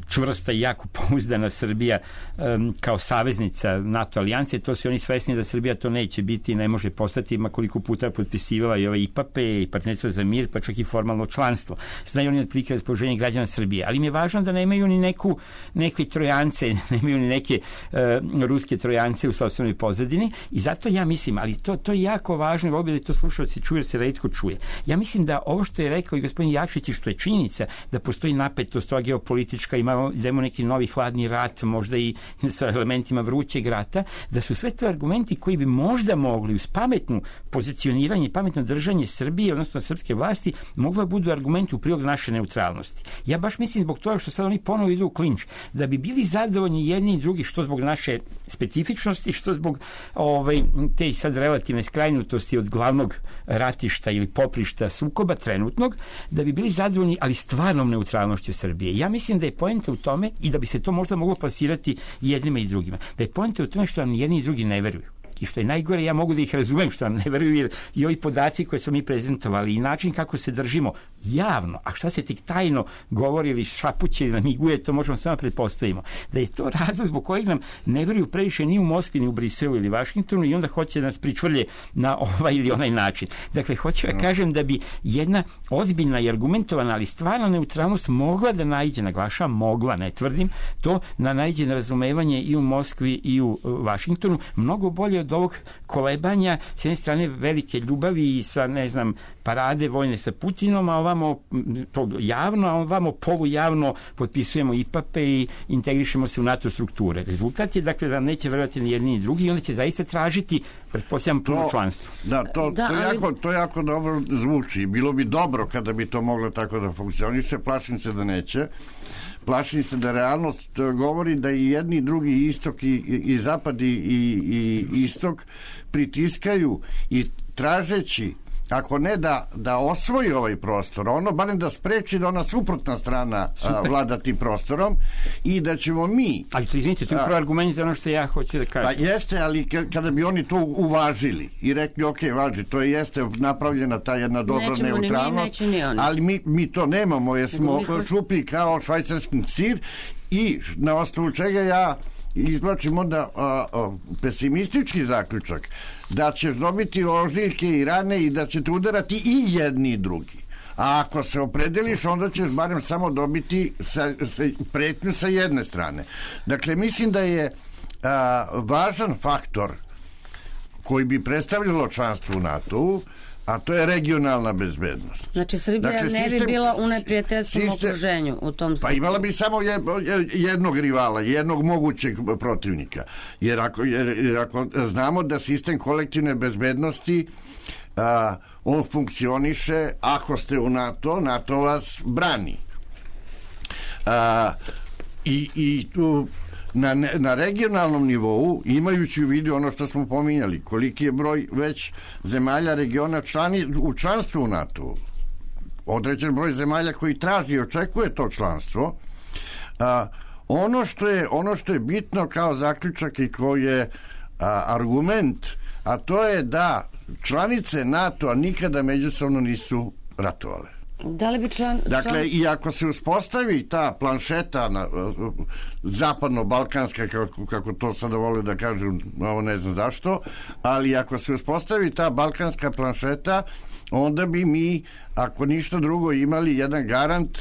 [SPEAKER 5] čvrsta i jako pouzdana Srbija um, kao saveznica NATO alijanse. To su oni svesni da Srbija to neće biti, ne može postati, ma koliko puta potpisivala i ove I P A P E i partnerstvo za mir, pa čak i formalno članstvo. Znaju oni otprilike raspoloženje građana Srbije, ali mi je važno da nemaju ni neku, neke trojance, nemaju ni neke uh, ruske trojance u sopstvenoj pozadini i zato ja mislim, ali to, to je jako važno i volio da to slušalci čuje, se retko čuje. Ja mislim da ovo što je rekao i gospodin Jakšić i što je činjenica da postoji napetost, to geopolitička, imamo, idemo neki novi hladni rat, možda i sa elementima vrućeg rata, da su sve to argumenti koji bi možda mogli uz pametnu pozicioniranje i pametno držanje Srbije, odnosno srpske vlasti, mogla budu argumenti u prilog naše neutralnosti. Ja baš mislim zbog toga što sad oni ponovo idu u klinč, da bi bili zadovoljni jedni i drugi, što zbog naše specifičnosti, što zbog ovaj, te sad relativne skrajnutosti od glavnog ratišta ili poprišta sukoba trenutnog, da bi bili zadovoljni, ali stvarnom neutralnošću Srbije. Ja mislim da je poenta u tome i da bi se to možda moglo plasirati jednima i drugima. Da je poenta u tome što nam jedni i drugi ne veruju. I što je najgore, ja mogu da ih razumem što nam ne veruju, jer i ovi podaci koje smo mi prezentovali i način kako se držimo javno, a šta se tik tajno govori ili šapuće ili namiguje, to možemo samo pretpostavimo. Da je to razlog zbog kojeg nam ne veruju previše ni u Moskvi, ni u Briselu ili Vašingtonu i onda hoće da nas pričvrlje na ovaj ili onaj način. Dakle, hoću da kažem da bi jedna ozbiljna i argumentovana, ali stvarna neutralnost mogla da naiđe, naglašavam, mogla, ne tvrdim, to na naiđe na razumevanje i u Moskvi i u Vašingtonu, mnogo bolje od ovog kolebanja, s jedne strane velike ljubavi i sa, ne znam, parade vojne sa Putinom, a ovamo to javno, a ovamo polujavno potpisujemo I P A P E i integrišemo se u NATO strukture. Rezultat je, dakle, da neće verovati ni jedni ni drugi i onda će zaista tražiti, pretpostavljam, puno članstvo.
[SPEAKER 6] Da, to, da, to, ali... jako, to jako dobro zvuči. Bilo bi dobro kada bi to moglo tako da funkcioniše, plašim se da neće. Plašim se da realnost govori da i jedni i drugi istok i, i zapad i, i istok pritiskaju i tražeći, ako ne da, da osvoji ovaj prostor, ono barem da spreči da ona suprotna strana a, vlada tim prostorom i da ćemo mi...
[SPEAKER 5] Ali to izvinite, to je upravo argument za ono što ja hoću da kažem.
[SPEAKER 6] Pa jeste, ali kada bi oni to uvažili i rekli, ok, važi, to je jeste napravljena ta jedna dobra
[SPEAKER 1] nećemo
[SPEAKER 6] neutralnost,
[SPEAKER 1] ni mi, ni
[SPEAKER 6] ali mi, mi to nemamo, jer smo šuplji kao švajcarski sir i na osnovu čega ja izvlačim onda a, a, pesimistički zaključak da ćeš dobiti ožiljke i rane i da će te udarati i jedni i drugi. A ako se opredeliš, onda ćeš barem samo dobiti sa, sa, pretnju sa jedne strane. Dakle, mislim da je a, važan faktor koji bi predstavljalo članstvo u NATO-u, a to je regionalna bezbednost.
[SPEAKER 1] Znači, Srbija dakle, ne sistem, bi bila u neprijateljstvom okruženju u tom slučaju.
[SPEAKER 6] Pa imala bi samo jednog rivala, jednog mogućeg protivnika. Jer ako, jer, jer ako znamo da sistem kolektivne bezbednosti a, on funkcioniše, ako ste u NATO, NATO vas brani. A, i, i tu Na, na regionalnom nivou, imajući u vidu ono što smo pominjali, koliki je broj već zemalja regiona člani, u članstvu u NATO, određen broj zemalja koji traži i očekuje to članstvo, a, ono, što je, ono što je bitno kao zaključak i koji je a, argument, a to je da članice NATO-a nikada međusobno nisu ratovale.
[SPEAKER 1] Da li bi član, član...
[SPEAKER 6] Dakle, i ako se uspostavi ta planšeta na, zapadno-balkanska, kako, kako to sada vole da kažu, ovo ne znam zašto, ali ako se uspostavi ta balkanska planšeta, onda bi mi, ako ništa drugo, imali jedan garant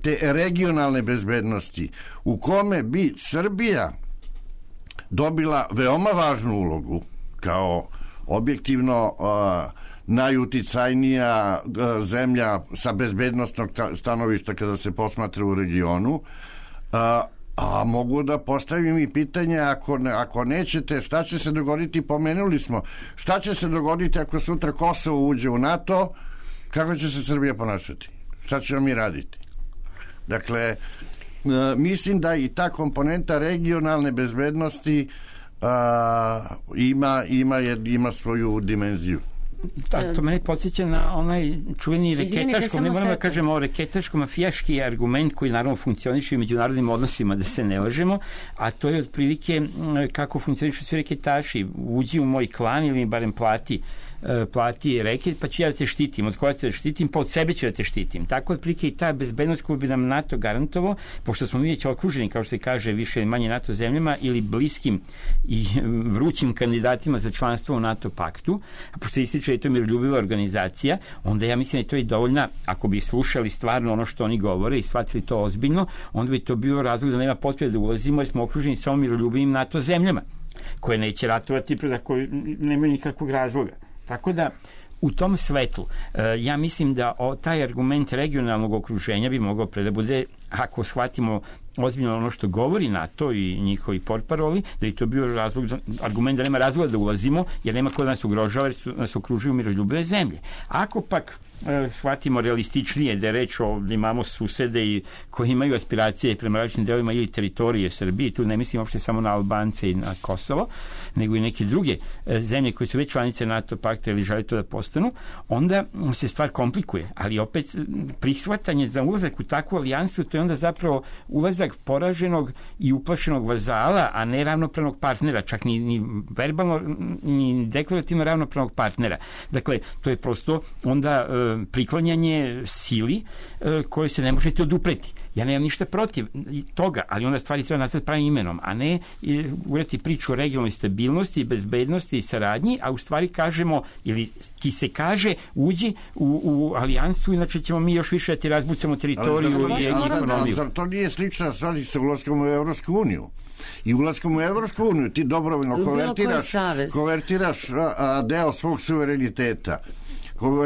[SPEAKER 6] te regionalne bezbednosti, u kome bi Srbija dobila veoma važnu ulogu kao objektivno uh, najuticajnija uh, zemlja sa bezbednostnog stanovišta kada se posmatra u regionu. Uh, a mogu da postavim i pitanje, ako, ne, ako nećete, šta će se dogoditi, pomenuli smo, šta će se dogoditi ako sutra Kosovo uđe u NATO, kako će se Srbija ponašati? Šta ćemo mi raditi? Dakle, uh, mislim da i ta komponenta regionalne bezbednosti uh, ima, ima, ima svoju dimenziju.
[SPEAKER 5] Da, to mene podsjeća na onaj čuveni reketaško, ne moramo da kažemo o reketaško mafijaški argument koji naravno funkcioniše u međunarodnim odnosima, da se ne lažemo, a to je otprilike kako funkcionišu svi reketaši. Uđi u moj klan ili mi barem plati plati reket, pa ću ja da te štitim. Od koja te štitim, pa od sebe ću da te štitim. Tako otprilike i ta bezbednost koju bi nam NATO garantovao, pošto smo mi već okruženi, kao što se kaže, više ili manje NATO zemljama ili bliskim i vrućim kandidatima za članstvo u NATO paktu, a pošto ističe je to miroljubiva organizacija, onda ja mislim da je to i dovoljna, ako bi slušali stvarno ono što oni govore i shvatili to ozbiljno, onda bi to bio razlog da nema potrebe da ulazimo, jer smo okruženi samo miroljubivim NATO zemljama, koje neće ratovati, da koje nemaju nikakvog razloga. Tako da, u tom svetlu, ja mislim da o, taj argument regionalnog okruženja bi mogao pre da bude, ako shvatimo ozbiljno ono što govori NATO i njihovi portparoli, da je to bio razlog, argument da nema razloga da ulazimo, jer nema ko da nas ugrožava, jer su, nas okružuju miroljubive zemlje. Ako pak e, shvatimo realističnije da je reč o, da imamo susede i koji imaju aspiracije prema različitim delovima ili teritorije Srbije, tu ne mislim uopšte samo na Albance i na Kosovo, nego i neke druge e, zemlje koje su već članice NATO pakta ili žele to da postanu, onda se stvar komplikuje. Ali opet prihvatanje za ulazak u takvu alijansu, to je onda zapravo ulazak poraženog i uplašenog vazala, a ne ravnopravnog partnera, čak ni, ni verbalno, ni deklarativno ravnopravnog partnera. Dakle, to je prosto onda e, priklanjanje sili e, koje se ne možete odupreti. Ja nemam ništa protiv toga, ali onda stvari treba nazvati pravim imenom, a ne e, ureti priču o regionalnoj stabilnosti, bezbednosti i saradnji, a u stvari kažemo, ili ti se kaže, uđi u, u alijansu, inače ćemo mi još više da ti razbucamo teritoriju i ekonomiju.
[SPEAKER 6] Zar to nije slična stvar sa ulaskom u Evropsku uniju? I ulaskom u Evropsku uniju ti dobrovoljno konvertiraš, konvertiraš a, a, deo svog suvereniteta,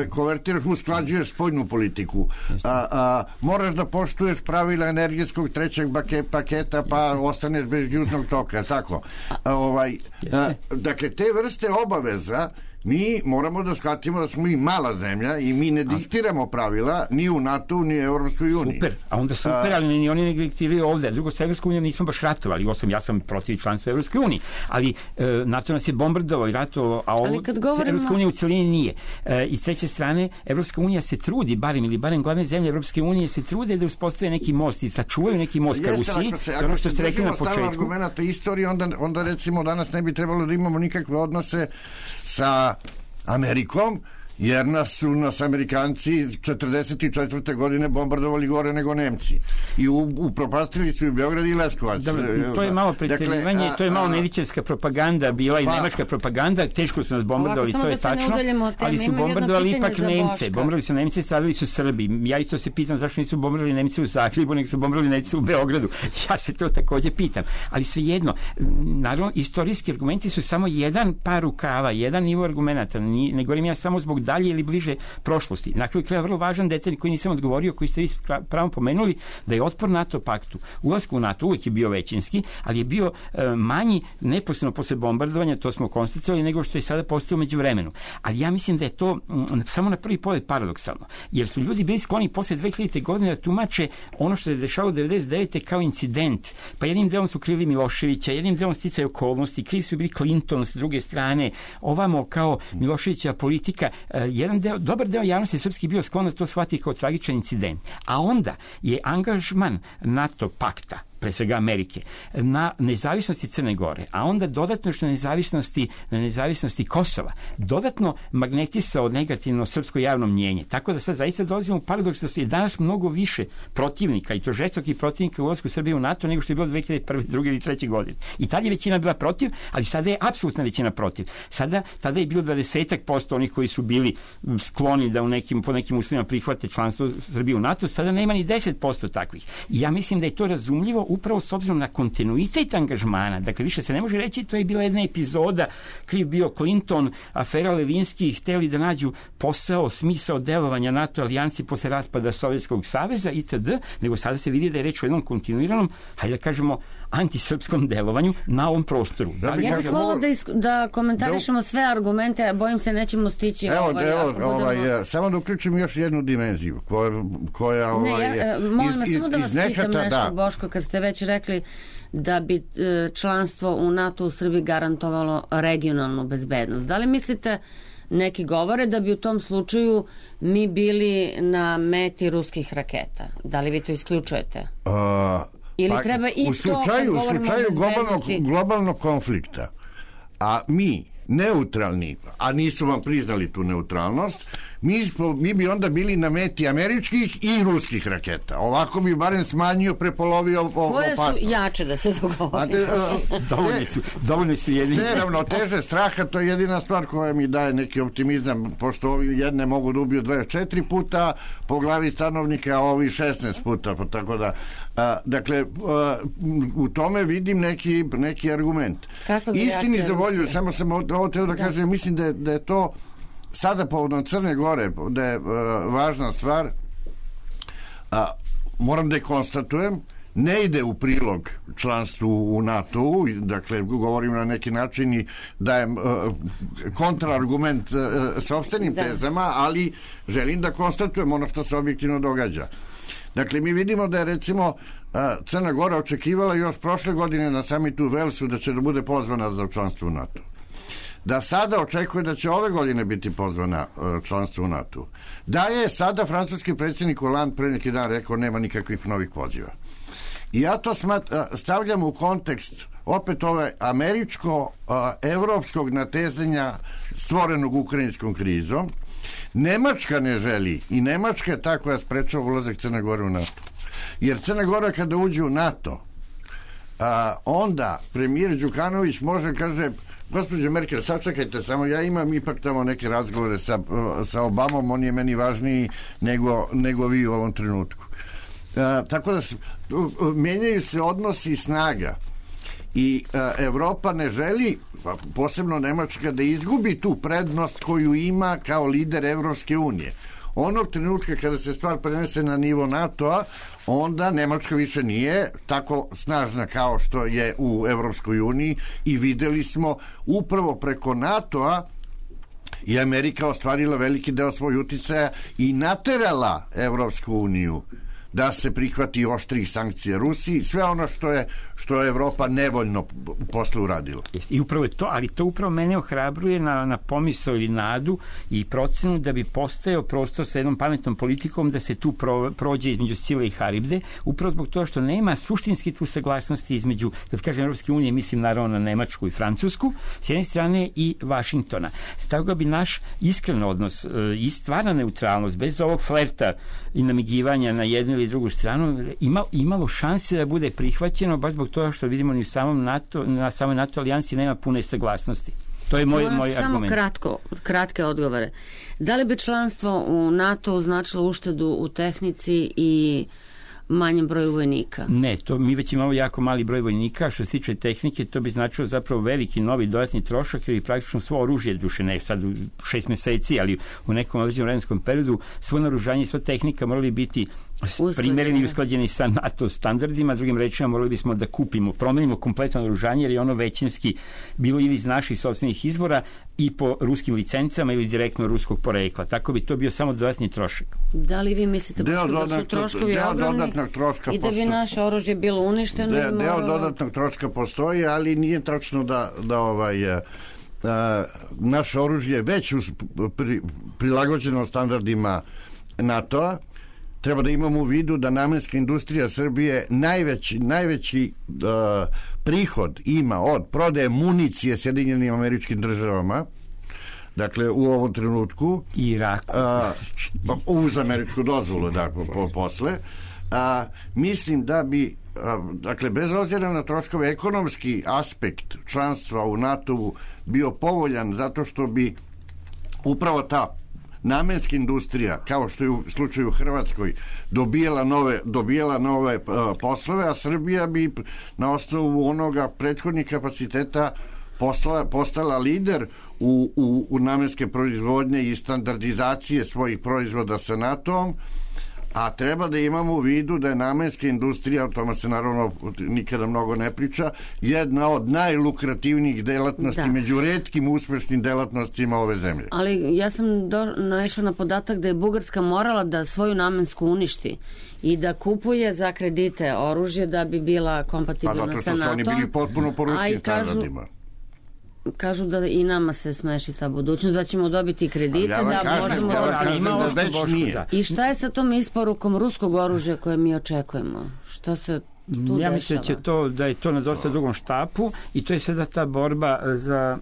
[SPEAKER 6] konvertiraš, usklađuješ spoljnu politiku, a, a, moraš da poštuješ pravila energetskog trećeg paketa, pa ostaneš bez južnog toka, tako. A, ovaj, a, dakle, te vrste obaveza mi moramo da shvatimo da smo i mala zemlja i mi ne diktiramo pravila ni u NATO ni u Evropskoj uniji.
[SPEAKER 5] Super, a onda super, ali ni oni ne diktiraju ovde. Drugo, sa Evropskom unijom nismo baš ratovali, osam, ja sam protiv članstva Evropske unije, ali e, NATO nas je bombardovao i ratovao, a ovo govorimo... Evropska unija u celini nije. E, I s treće strane, Evropska unija se trudi, barem ili barem glavne zemlje Evropske unije se trude da uspostave neki most i sačuvaju neki most ka Rusiji.
[SPEAKER 6] Ako se držimo stavno argumenta istorije, onda, onda recimo danas ne bi trebalo da imamo nikakve odnose sa Amerikom, jer nas su nas Amerikanci četrdeset četvrte godine bombardovali gore nego Nemci. I upropastili su i Beograd i Leskovac.
[SPEAKER 5] Da, to je malo preterivanje, dakle, to je malo nedičarska propaganda bila i pa, nemačka propaganda, teško su nas bombardovali, to je da tačno, ali su bombardovali ipak Nemce. Bombardovali su Nemce, stradili su Srbi. Ja isto se pitam zašto nisu bombardovali Nemci u Zagrebu, nego su bombardovali Nemci u Beogradu. Ja se to takođe pitam. Ali svejedno, naravno, istorijski argumenti su samo jedan par rukava, jedan nivo argumenata. Ne govorim ja samo zbog dalje ili bliže prošlosti. Na kraju kraja vrlo važan detalj koji nisam odgovorio, koji ste vi pravo pomenuli, da je otpor NATO paktu, ulasku u NATO uvijek je bio većinski, ali je bio e, manji neposredno posle bombardovanja, to smo konstatovali, nego što je sada postao među vremenu. Ali ja mislim da je to m, samo na prvi pogled paradoksalno, jer su ljudi bili skloni posle dve hiljadite. godine da tumače ono što se dešavalo devedeset devete. kao incident. Pa jednim delom su krili Miloševića, jednim delom sticaju okolnosti, krivi su bili Clinton s druge strane, ovamo kao Miloševića politika, e, jedan deo, dobar deo javnosti srpski bio sklon da to shvati kao tragičan incident. A onda je angažman NATO pakta pre svega Amerike, na nezavisnosti Crne Gore, a onda dodatno još na nezavisnosti, na nezavisnosti Kosova, dodatno magnetisao negativno srpsko javno mnjenje. Tako da sad zaista dolazimo u paradoks da je danas mnogo više protivnika, i to žestokih protivnika u ulasku Srbije u NATO nego što je bilo dve hiljade prve, druge ili treće godine. I tad je većina bila protiv, ali sada je apsolutna većina protiv. Sada, tada je bilo dvadeset posto onih koji su bili skloni da u nekim, po nekim uslovima prihvate članstvo Srbije u NATO, sada nema ni deset posto takvih. I ja mislim da je to razumljivo upravo s obzirom na kontinuitet angažmana. Dakle, više se ne može reći, to je bila jedna epizoda, kriv bio Clinton, afera Levinski, hteli da nađu posao, smisao delovanja NATO alijansi posle raspada Sovjetskog saveza itd., nego sada se vidi da je reč o jednom kontinuiranom, hajde da kažemo, antisrpskom delovanju na ovom prostoru.
[SPEAKER 1] Da li ja bih volao da, isk- da komentarišemo da... sve argumente, a bojim se nećemo stići.
[SPEAKER 6] Evo,
[SPEAKER 1] ovaj,
[SPEAKER 6] evo,
[SPEAKER 1] budemo...
[SPEAKER 6] ovaj, samo da uključim još jednu dimenziju koja, koja ovaj,
[SPEAKER 1] ne, ja, molim vas, samo da vas
[SPEAKER 6] nehata,
[SPEAKER 1] pitam nešto,
[SPEAKER 6] da.
[SPEAKER 1] Boško, kad ste već rekli da bi članstvo u NATO u Srbiji garantovalo regionalnu bezbednost. Da li mislite, neki govore da bi u tom slučaju mi bili na meti ruskih raketa? Da li vi to isključujete?
[SPEAKER 6] Uh,
[SPEAKER 1] Ili
[SPEAKER 6] pa,
[SPEAKER 1] treba i
[SPEAKER 6] u slučaju,
[SPEAKER 1] to,
[SPEAKER 6] u slučaju globalnog, globalnog konflikta, a mi neutralni, a nisu vam priznali tu neutralnost, mi, smo, mi bi onda bili na meti američkih i ruskih raketa. Ovako bi barem smanjio, prepolovio opasnost.
[SPEAKER 1] Koje su jače da se dogovori?
[SPEAKER 5] Dovoljni su, dovoljni su jedini.
[SPEAKER 6] Neravnoteže straha, to je jedina stvar koja mi daje neki optimizam, pošto ovi jedne mogu da ubiju dvadeset četiri puta po glavi stanovnika, a ovi šesnaest puta, pa tako da. A, dakle, a, u tome vidim neki, neki argument. Istini za volju, samo sam ovo teo da, da kažem, mislim da je, da je to sada povodom Crne Gore, da je uh, važna stvar, a, moram da je konstatujem, ne ide u prilog članstvu u NATO-u, dakle, govorim na neki način i dajem uh, kontraargument uh, sopstvenim da. tezama, ali želim da konstatujem ono što se objektivno događa. Dakle, mi vidimo da je, recimo, uh, Crna Gora očekivala još prošle godine na samitu u Velsu da će da bude pozvana za članstvo u NATO. Da sada očekuje da će ove godine biti pozvana članstvo u NATO. Da je sada francuski predsjednik Hollande pre neki dan rekao nema nikakvih novih poziva. I ja to smat, stavljam u kontekst opet ove američko-evropskog natezanja stvorenog ukrajinskom krizom. Nemačka ne želi i Nemačka je ta koja sprečava ulazak Crne Gore u NATO. Jer Crna Gora kada uđe u NATO, a, onda premijer Đukanović može, kaže, gospođo Merkel, sačekajte, samo ja imam ipak tamo neke razgovore sa, sa Obamom, on je meni važniji nego, nego vi u ovom trenutku. A, tako da se, menjaju se odnosi snaga i a, Evropa ne želi, posebno Nemačka, da izgubi tu prednost koju ima kao lider Evropske unije. Onog trenutka kada se stvar prenese na nivo NATO-a, onda Nemačka više nije tako snažna kao što je u Evropskoj uniji i videli smo upravo preko NATO-a i Amerika ostvarila veliki deo svoj uticaja i naterala Evropsku uniju da se prihvati oštrih sankcija Rusiji, sve ono što je što je Evropa nevoljno posle uradila.
[SPEAKER 5] I upravo je to, ali to upravo mene ohrabruje na, na pomisao ili nadu i procenu da bi postojao prostor sa jednom pametnom politikom da se tu pro, prođe između Scile i Haribde, upravo zbog toga što nema suštinski tu saglasnosti između, kad kažem Evropske unije, mislim naravno na Nemačku i Francusku, s jedne strane i Vašingtona. Stoga bi naš iskren odnos i stvarna neutralnost, bez ovog flerta i namigivanja na jednu ili drugu stranu, ima, imalo šanse da bude prihvaćeno, baš zbog toga što vidimo ni u samom NATO, na samoj NATO alijansi nema pune saglasnosti. To je moj, moj
[SPEAKER 1] samo
[SPEAKER 5] argument.
[SPEAKER 1] Samo kratko, kratke odgovore. Da li bi članstvo u NATO značilo uštedu u tehnici i manjem broju vojnika?
[SPEAKER 5] Ne, to mi već imamo jako mali broj vojnika. Što se tiče tehnike, to bi značilo zapravo veliki novi dodatni trošak, jer je praktično svo oružje, duše ne sad u šest meseci, ali u nekom određenom vremenskom periodu, svo naoružanje i sva tehnika morali biti primereni i usklađeni sa NATO standardima. Drugim rečima, morali bismo da kupimo, promenimo kompletno naoružanje, jer je ono većinski bilo ili iz naših sopstvenih izvora i po ruskim licencama ili direktno ruskog porekla. Tako bi to bio samo dodatni trošak.
[SPEAKER 1] Da li vi mislite da su troškovi ogromni i da bi naše oružje bilo uništeno?
[SPEAKER 6] De, deo moralo... dodatnog troška postoji, ali nije tačno da, da ovaj, a, a, naše oružje već us, pri, prilagođeno standardima NATO-a. treba da imamo u vidu da namenska industrija Srbije najveći, najveći uh, prihod ima od prodaje municije Sjedinjenim Američkim Državama, dakle u ovom trenutku
[SPEAKER 5] Iraku
[SPEAKER 6] uh, uz američku dozvolu, da, po, po, posle a, mislim da bi a, dakle bez obzira na troškove ekonomski aspekt članstva u NATO-u bio povoljan, zato što bi upravo ta namenska industrija, kao što je u slučaju u Hrvatskoj, dobijala nove, dobijala nove uh, poslove, a Srbija bi na osnovu onoga prethodnih kapaciteta postala, postala lider u, u, u namenske proizvodnje i standardizacije svojih proizvoda sa NATO-om, a treba da imamo u vidu da je namenska industrija, o tome se naravno nikada mnogo ne priča, jedna od najlukrativnijih delatnosti, da, među retkim uspešnim delatnostima ove zemlje.
[SPEAKER 1] Ali ja sam do, naišla na podatak da je Bugarska morala da svoju namensku uništi i da kupuje za kredite oružje da bi bila kompatibilna sa NATO-om.
[SPEAKER 6] Pa zato što su oni bili potpuno po ruskim standardima.
[SPEAKER 1] Kažu da i nama se smeši ta budućnost, da ćemo dobiti kredite, ja da
[SPEAKER 6] kažem,
[SPEAKER 1] možemo
[SPEAKER 6] ja
[SPEAKER 1] da...
[SPEAKER 6] kažem da već nije.
[SPEAKER 1] I šta je sa tom isporukom ruskog oružja koje mi očekujemo? Šta se tu
[SPEAKER 5] ja
[SPEAKER 1] dešava?
[SPEAKER 5] mislim da, će to, da je to na dosta drugom štapu i to je sada ta borba za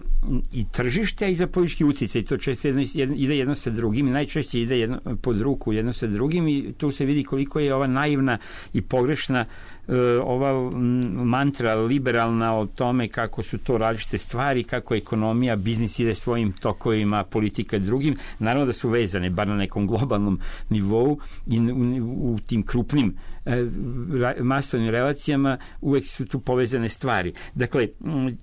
[SPEAKER 5] i tržište i za politički uticaj. To često jedno, jedno, ide jedno sa drugim i najčešće ide jedno, pod ruku jedno sa drugim i tu se vidi koliko je ova naivna i pogrešna ova mantra liberalna o tome kako su to različite stvari, kako ekonomija, biznis ide svojim tokovima, politika drugim, naravno da su vezane, bar na nekom globalnom nivou i u, u tim krupnim masovnim relacijama uvek su tu povezane stvari. Dakle,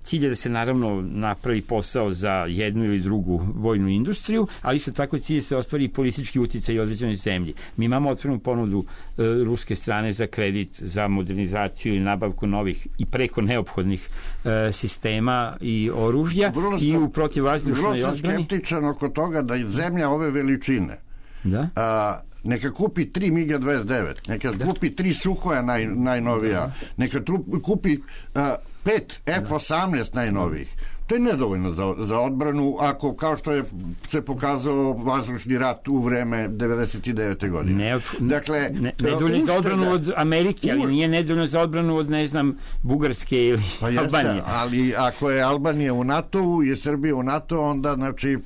[SPEAKER 5] cilj je da se naravno napravi posao za jednu ili drugu vojnu industriju, ali isto tako cilj je se ostvari i politički uticaj određenoj zemlji. Mi imamo otvorenu ponudu e, ruske strane za kredit, za modernizaciju i nabavku novih i preko neophodnih e, sistema i oružja
[SPEAKER 6] vrlo
[SPEAKER 5] i u protivvazdušnoj odbrani.
[SPEAKER 6] Vrlo sam skeptičan oko toga da je zemlja ove veličine
[SPEAKER 5] da?
[SPEAKER 6] A, neka kupi tri MiG dvadeset devet, neka da. kupi tri Suhoja naj, najnovija, da. neka tru, kupi a, pet F osamnaest najnovijih. To je nedovoljno za, za odbranu, ako, kao što je se pokazao vazdušni rat u vreme devedeset devete godine.
[SPEAKER 5] Ne,
[SPEAKER 6] dakle,
[SPEAKER 5] ne, nedovoljno za odbranu od Amerike, ali nije nedovoljno za odbranu od, ne znam, Bugarske ili
[SPEAKER 6] pa jeste,
[SPEAKER 5] Albanije.
[SPEAKER 6] Ali ako je Albanija u NATO-u i je Srbija u NATO, onda, znači,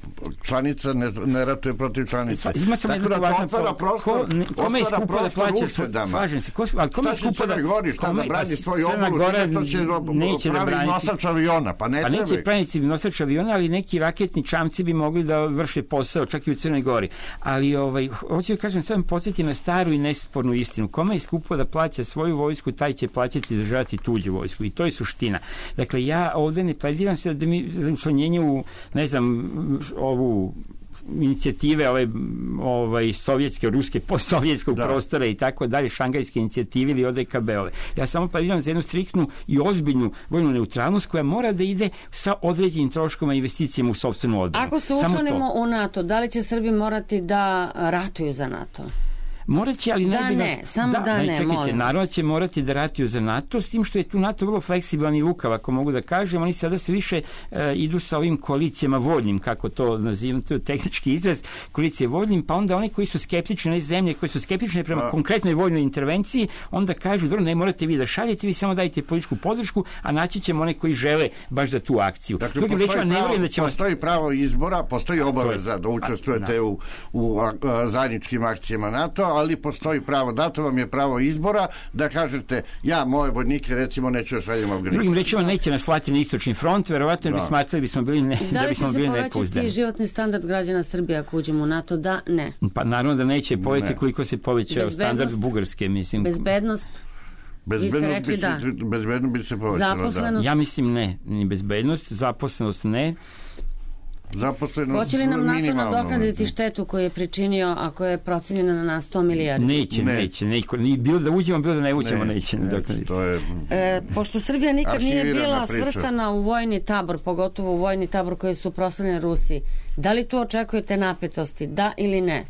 [SPEAKER 6] članica ne, ne ratuje protiv članice.
[SPEAKER 5] Ima sam
[SPEAKER 6] tako da to otvara prostor,
[SPEAKER 5] kome je skupo da plaća uštedama. Slažem se. Ko, ali kome
[SPEAKER 6] šta će Crna Gori, šta da brani svoj obolu, što će pravi nosač aviona, pa ne treba.
[SPEAKER 5] Nosač aviona, ali neki raketni čamci bi mogli da vrše posao čak i u Crnoj Gori. Ali ovaj, hoću da kažem, sad podsjeti na staru i nespornu istinu. Kome je skupo da plaća svoju vojsku, taj će plaćati i državati tuđu vojsku. I to je suština. Dakle, ja ovde ne plediram se da mi za učlanjenje u, ne znam, ovu inicijative ove ovaj sovjetske, ruske, postsovjetskog da. prostora i tako dalje, šangajske inicijative ili O D K B-ove. Ja samo plediram za jednu striktnu i ozbiljnu vojnu neutralnost koja mora da ide sa određenim troškovima i investicijama u sopstvenu odbranu.
[SPEAKER 1] Ako se učlanimo u NATO, da li će Srbi morati da ratuju za NATO?
[SPEAKER 5] Morat će, ali
[SPEAKER 1] da
[SPEAKER 5] ne bi nas...
[SPEAKER 1] ne, samo da, da ne,
[SPEAKER 5] čekajte,
[SPEAKER 1] molim
[SPEAKER 5] naravno će morati da ratuju za NATO, s tim što je tu NATO vrlo fleksibilan i lukav, ako mogu da kažem. Oni sada sve više e, idu sa ovim koalicijama voljnim, kako to nazivam, to je tehnički izraz, koalicije voljnim, pa onda oni koji su skeptični, ne zemlje, koji su skeptični prema a... konkretnoj vojnoj intervenciji, onda kažu, dobro, ne morate vi da šaljete, vi samo dajte političku podršku, a naći ćemo one koji žele baš za tu akciju.
[SPEAKER 6] Dakle, postoji, rečima, pravo, da ćemo... postoji pravo izbora, postoji obaveza da učestvujete a, u, u a, a, zajedničkim akcijama NATO, ali postoji pravo, dato vam je pravo izbora da kažete, ja, moje vojnike recimo neću da šaljem u Afganistan.
[SPEAKER 5] Drugim rečima, neće nas slati na istočni front, verovatno da. bi smatrali bismo bili ne, da,
[SPEAKER 1] da
[SPEAKER 5] bismo bili nepouzdani.
[SPEAKER 1] Da li će se povećati životni standard građana Srbije ako uđemo u NATO? Da, ne.
[SPEAKER 5] Pa naravno da neće povećati koliko se povećao standard Bugarske, mislim.
[SPEAKER 1] Bezbednost?
[SPEAKER 6] Bezbednost bi, da. se, bezbednost bi se povećala,
[SPEAKER 1] zaposlenost?
[SPEAKER 5] Da. Ja mislim ne, ni bezbednost, zaposlenost ne.
[SPEAKER 1] Hoće li nam NATO nadoknaditi štetu koju je pričinio ako je procenjena na sto milijardi?
[SPEAKER 5] Neće, ne. neće. Neće. Ni bilo da uđemo, bilo da ne uđemo, ne, neće.
[SPEAKER 6] neće to je...
[SPEAKER 1] e, pošto Srbija nikad nije bila priča. svrstana u vojni tabor, pogotovo u vojni tabor koji su proslavljeni Rusiji, da li tu očekujete napetosti? Da ili ne?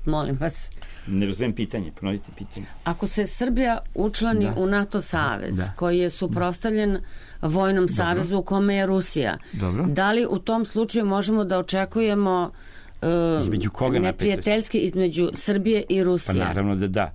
[SPEAKER 1] Molim vas.
[SPEAKER 5] Ne razumem pitanje, ponovite pitanje.
[SPEAKER 1] Ako se Srbija učlani da. u NATO savez, da. koji je suprotstavljen vojnom Dobro. savezu u kome je Rusija,
[SPEAKER 5] Dobro.
[SPEAKER 1] da li u tom slučaju možemo da očekujemo
[SPEAKER 5] Između koga
[SPEAKER 1] neprijateljski između Srbije i Rusije?
[SPEAKER 5] Pa naravno da da.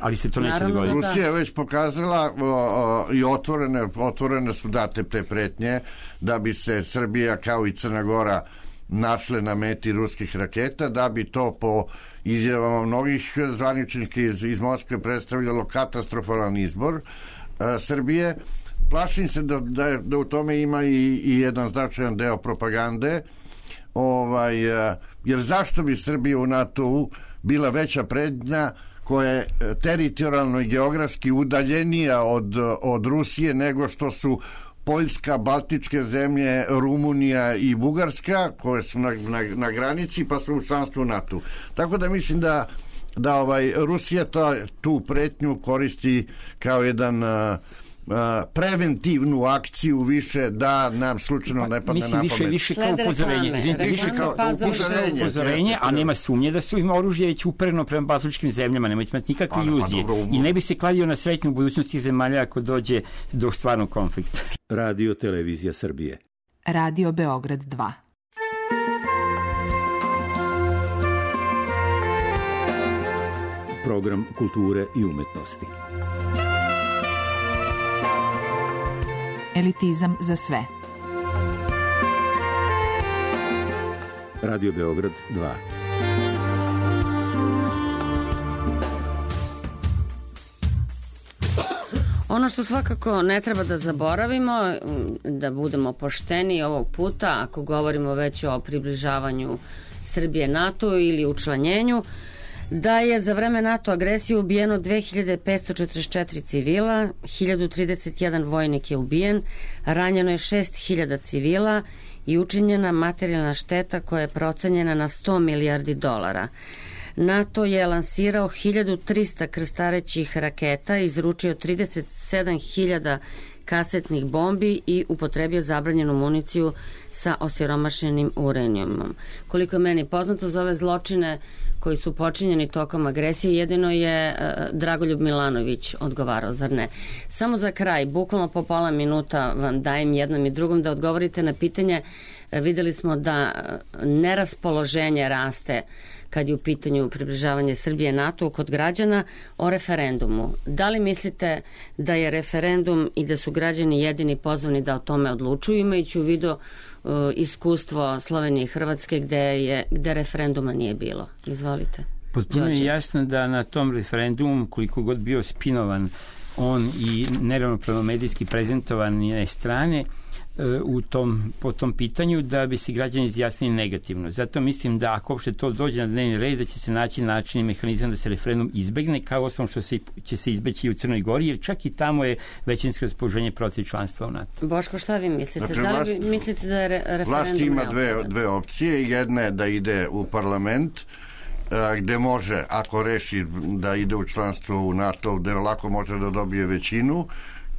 [SPEAKER 5] Ali se to neće dogoditi.
[SPEAKER 6] Da. Rusija je već pokazala o, o, i otvorene, otvorene su date te pretnje da bi se Srbija kao i Crna Gora našle na meti ruskih raketa, da bi to po izjavama mnogih zvaničnika iz, iz Moskve predstavljalo katastrofalan izbor a, Srbije. Plašim se da, da, je, da u tome ima i, i jedan značajan deo propagande, ovaj, a, jer zašto bi Srbija u NATO-u bila veća prednja koja je teritorijalno i geografski udaljenija od, od Rusije nego što su Poljska, Baltičke zemlje, Rumunija i Bugarska, koje su na, na, na granici, pa su u članstvu NATO. Tako da mislim da, da ovaj, Rusija to, tu pretnju koristi kao jedan a, a, preventivnu akciju više da nam slučajno ne padne na pamet.
[SPEAKER 5] Mislim, više, više kao upozorenje. Izvinite, više kao upozorenje, upozorenje, a nema sumnje da su im oružje već upereno prema baltičkim zemljama, nemojte imati nikakve iluzije. I ne bi se kladio na srećnu budućnost tih zemalja ako dođe do stvarnog konflikta.
[SPEAKER 7] Radio Televizija Srbije.
[SPEAKER 4] Radio Beograd dva.
[SPEAKER 7] Program kulture i umetnosti.
[SPEAKER 4] Elitizam za sve.
[SPEAKER 7] Radio Beograd dva.
[SPEAKER 1] Ono što svakako ne treba da zaboravimo, da budemo pošteni ovog puta, ako govorimo već o približavanju Srbije NATO ili učlanjenju, da je za vreme NATO agresije ubijeno dve hiljade petsto četrdeset četiri civila, hiljadu trideset jedan vojnik je ubijen, ranjeno je šest hiljada civila i učinjena materijalna šteta koja je procenjena na sto milijardi dolara. NATO je lansirao hiljadu trista krstarećih raketa, izručio trideset sedam hiljada kasetnih bombi i upotrebio zabranjenu municiju sa osiromašenim uranijumom. Koliko je meni poznato, za ove zločine koji su počinjeni tokom agresije, jedino je uh, Dragoljub Milanović odgovarao, zar ne? Samo za kraj, bukvalno po pola minuta vam dajem jednom i drugom da odgovorite na pitanje. Uh, videli smo da uh, neraspoloženje raste kad je u pitanju približavanje Srbije NATO kod građana o referendumu. Da li mislite da je referendum i da su građani jedini pozvani da o tome odlučuju, imajući u vidu uh, iskustvo Slovenije i Hrvatske gde, je, gde referenduma nije bilo? Izvolite.
[SPEAKER 5] Potpuno je jasno da na tom referendumu, koliko god bio spinovan on i neravnopravno medijski prezentovan je strane, u tom, po tom pitanju da bi se građani izjasnili negativno. Zato mislim da ako uopšte to dođe na dnevni red, da će se naći način i mehanizam da se referendum izbegne, kao osnovno što se, će se izbeći i u Crnoj Gori, jer čak i tamo je većinsko raspoloženje protiv članstva u NATO.
[SPEAKER 1] Boško, šta vi mislite?
[SPEAKER 6] Dakle,
[SPEAKER 1] da li
[SPEAKER 6] vlast,
[SPEAKER 1] vi mislite da je re, referendum
[SPEAKER 6] vlast ima dve, dve opcije. Jedna je da ide u parlament, gde može, ako reši da ide u članstvo u NATO, gde lako može da dobije većinu,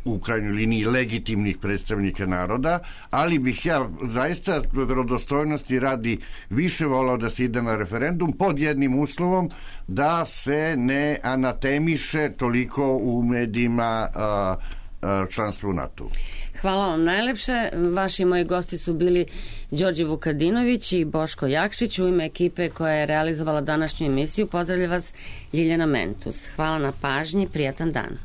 [SPEAKER 6] u krajnjoj liniji legitimnih predstavnika naroda, ali bih ja zaista verodostojnosti radi više volao da se ide na referendum pod jednim uslovom, da se ne anatemiše toliko u medijima a, a, članstvo u NATO.
[SPEAKER 1] Hvala vam najlepše. Vaši i moji gosti su bili Đorđe Vukadinović i Boško Jakšić. U ime ekipe koja je realizovala današnju emisiju pozdravlja vas Ljiljana Mentus. Hvala na pažnji, prijatan dan.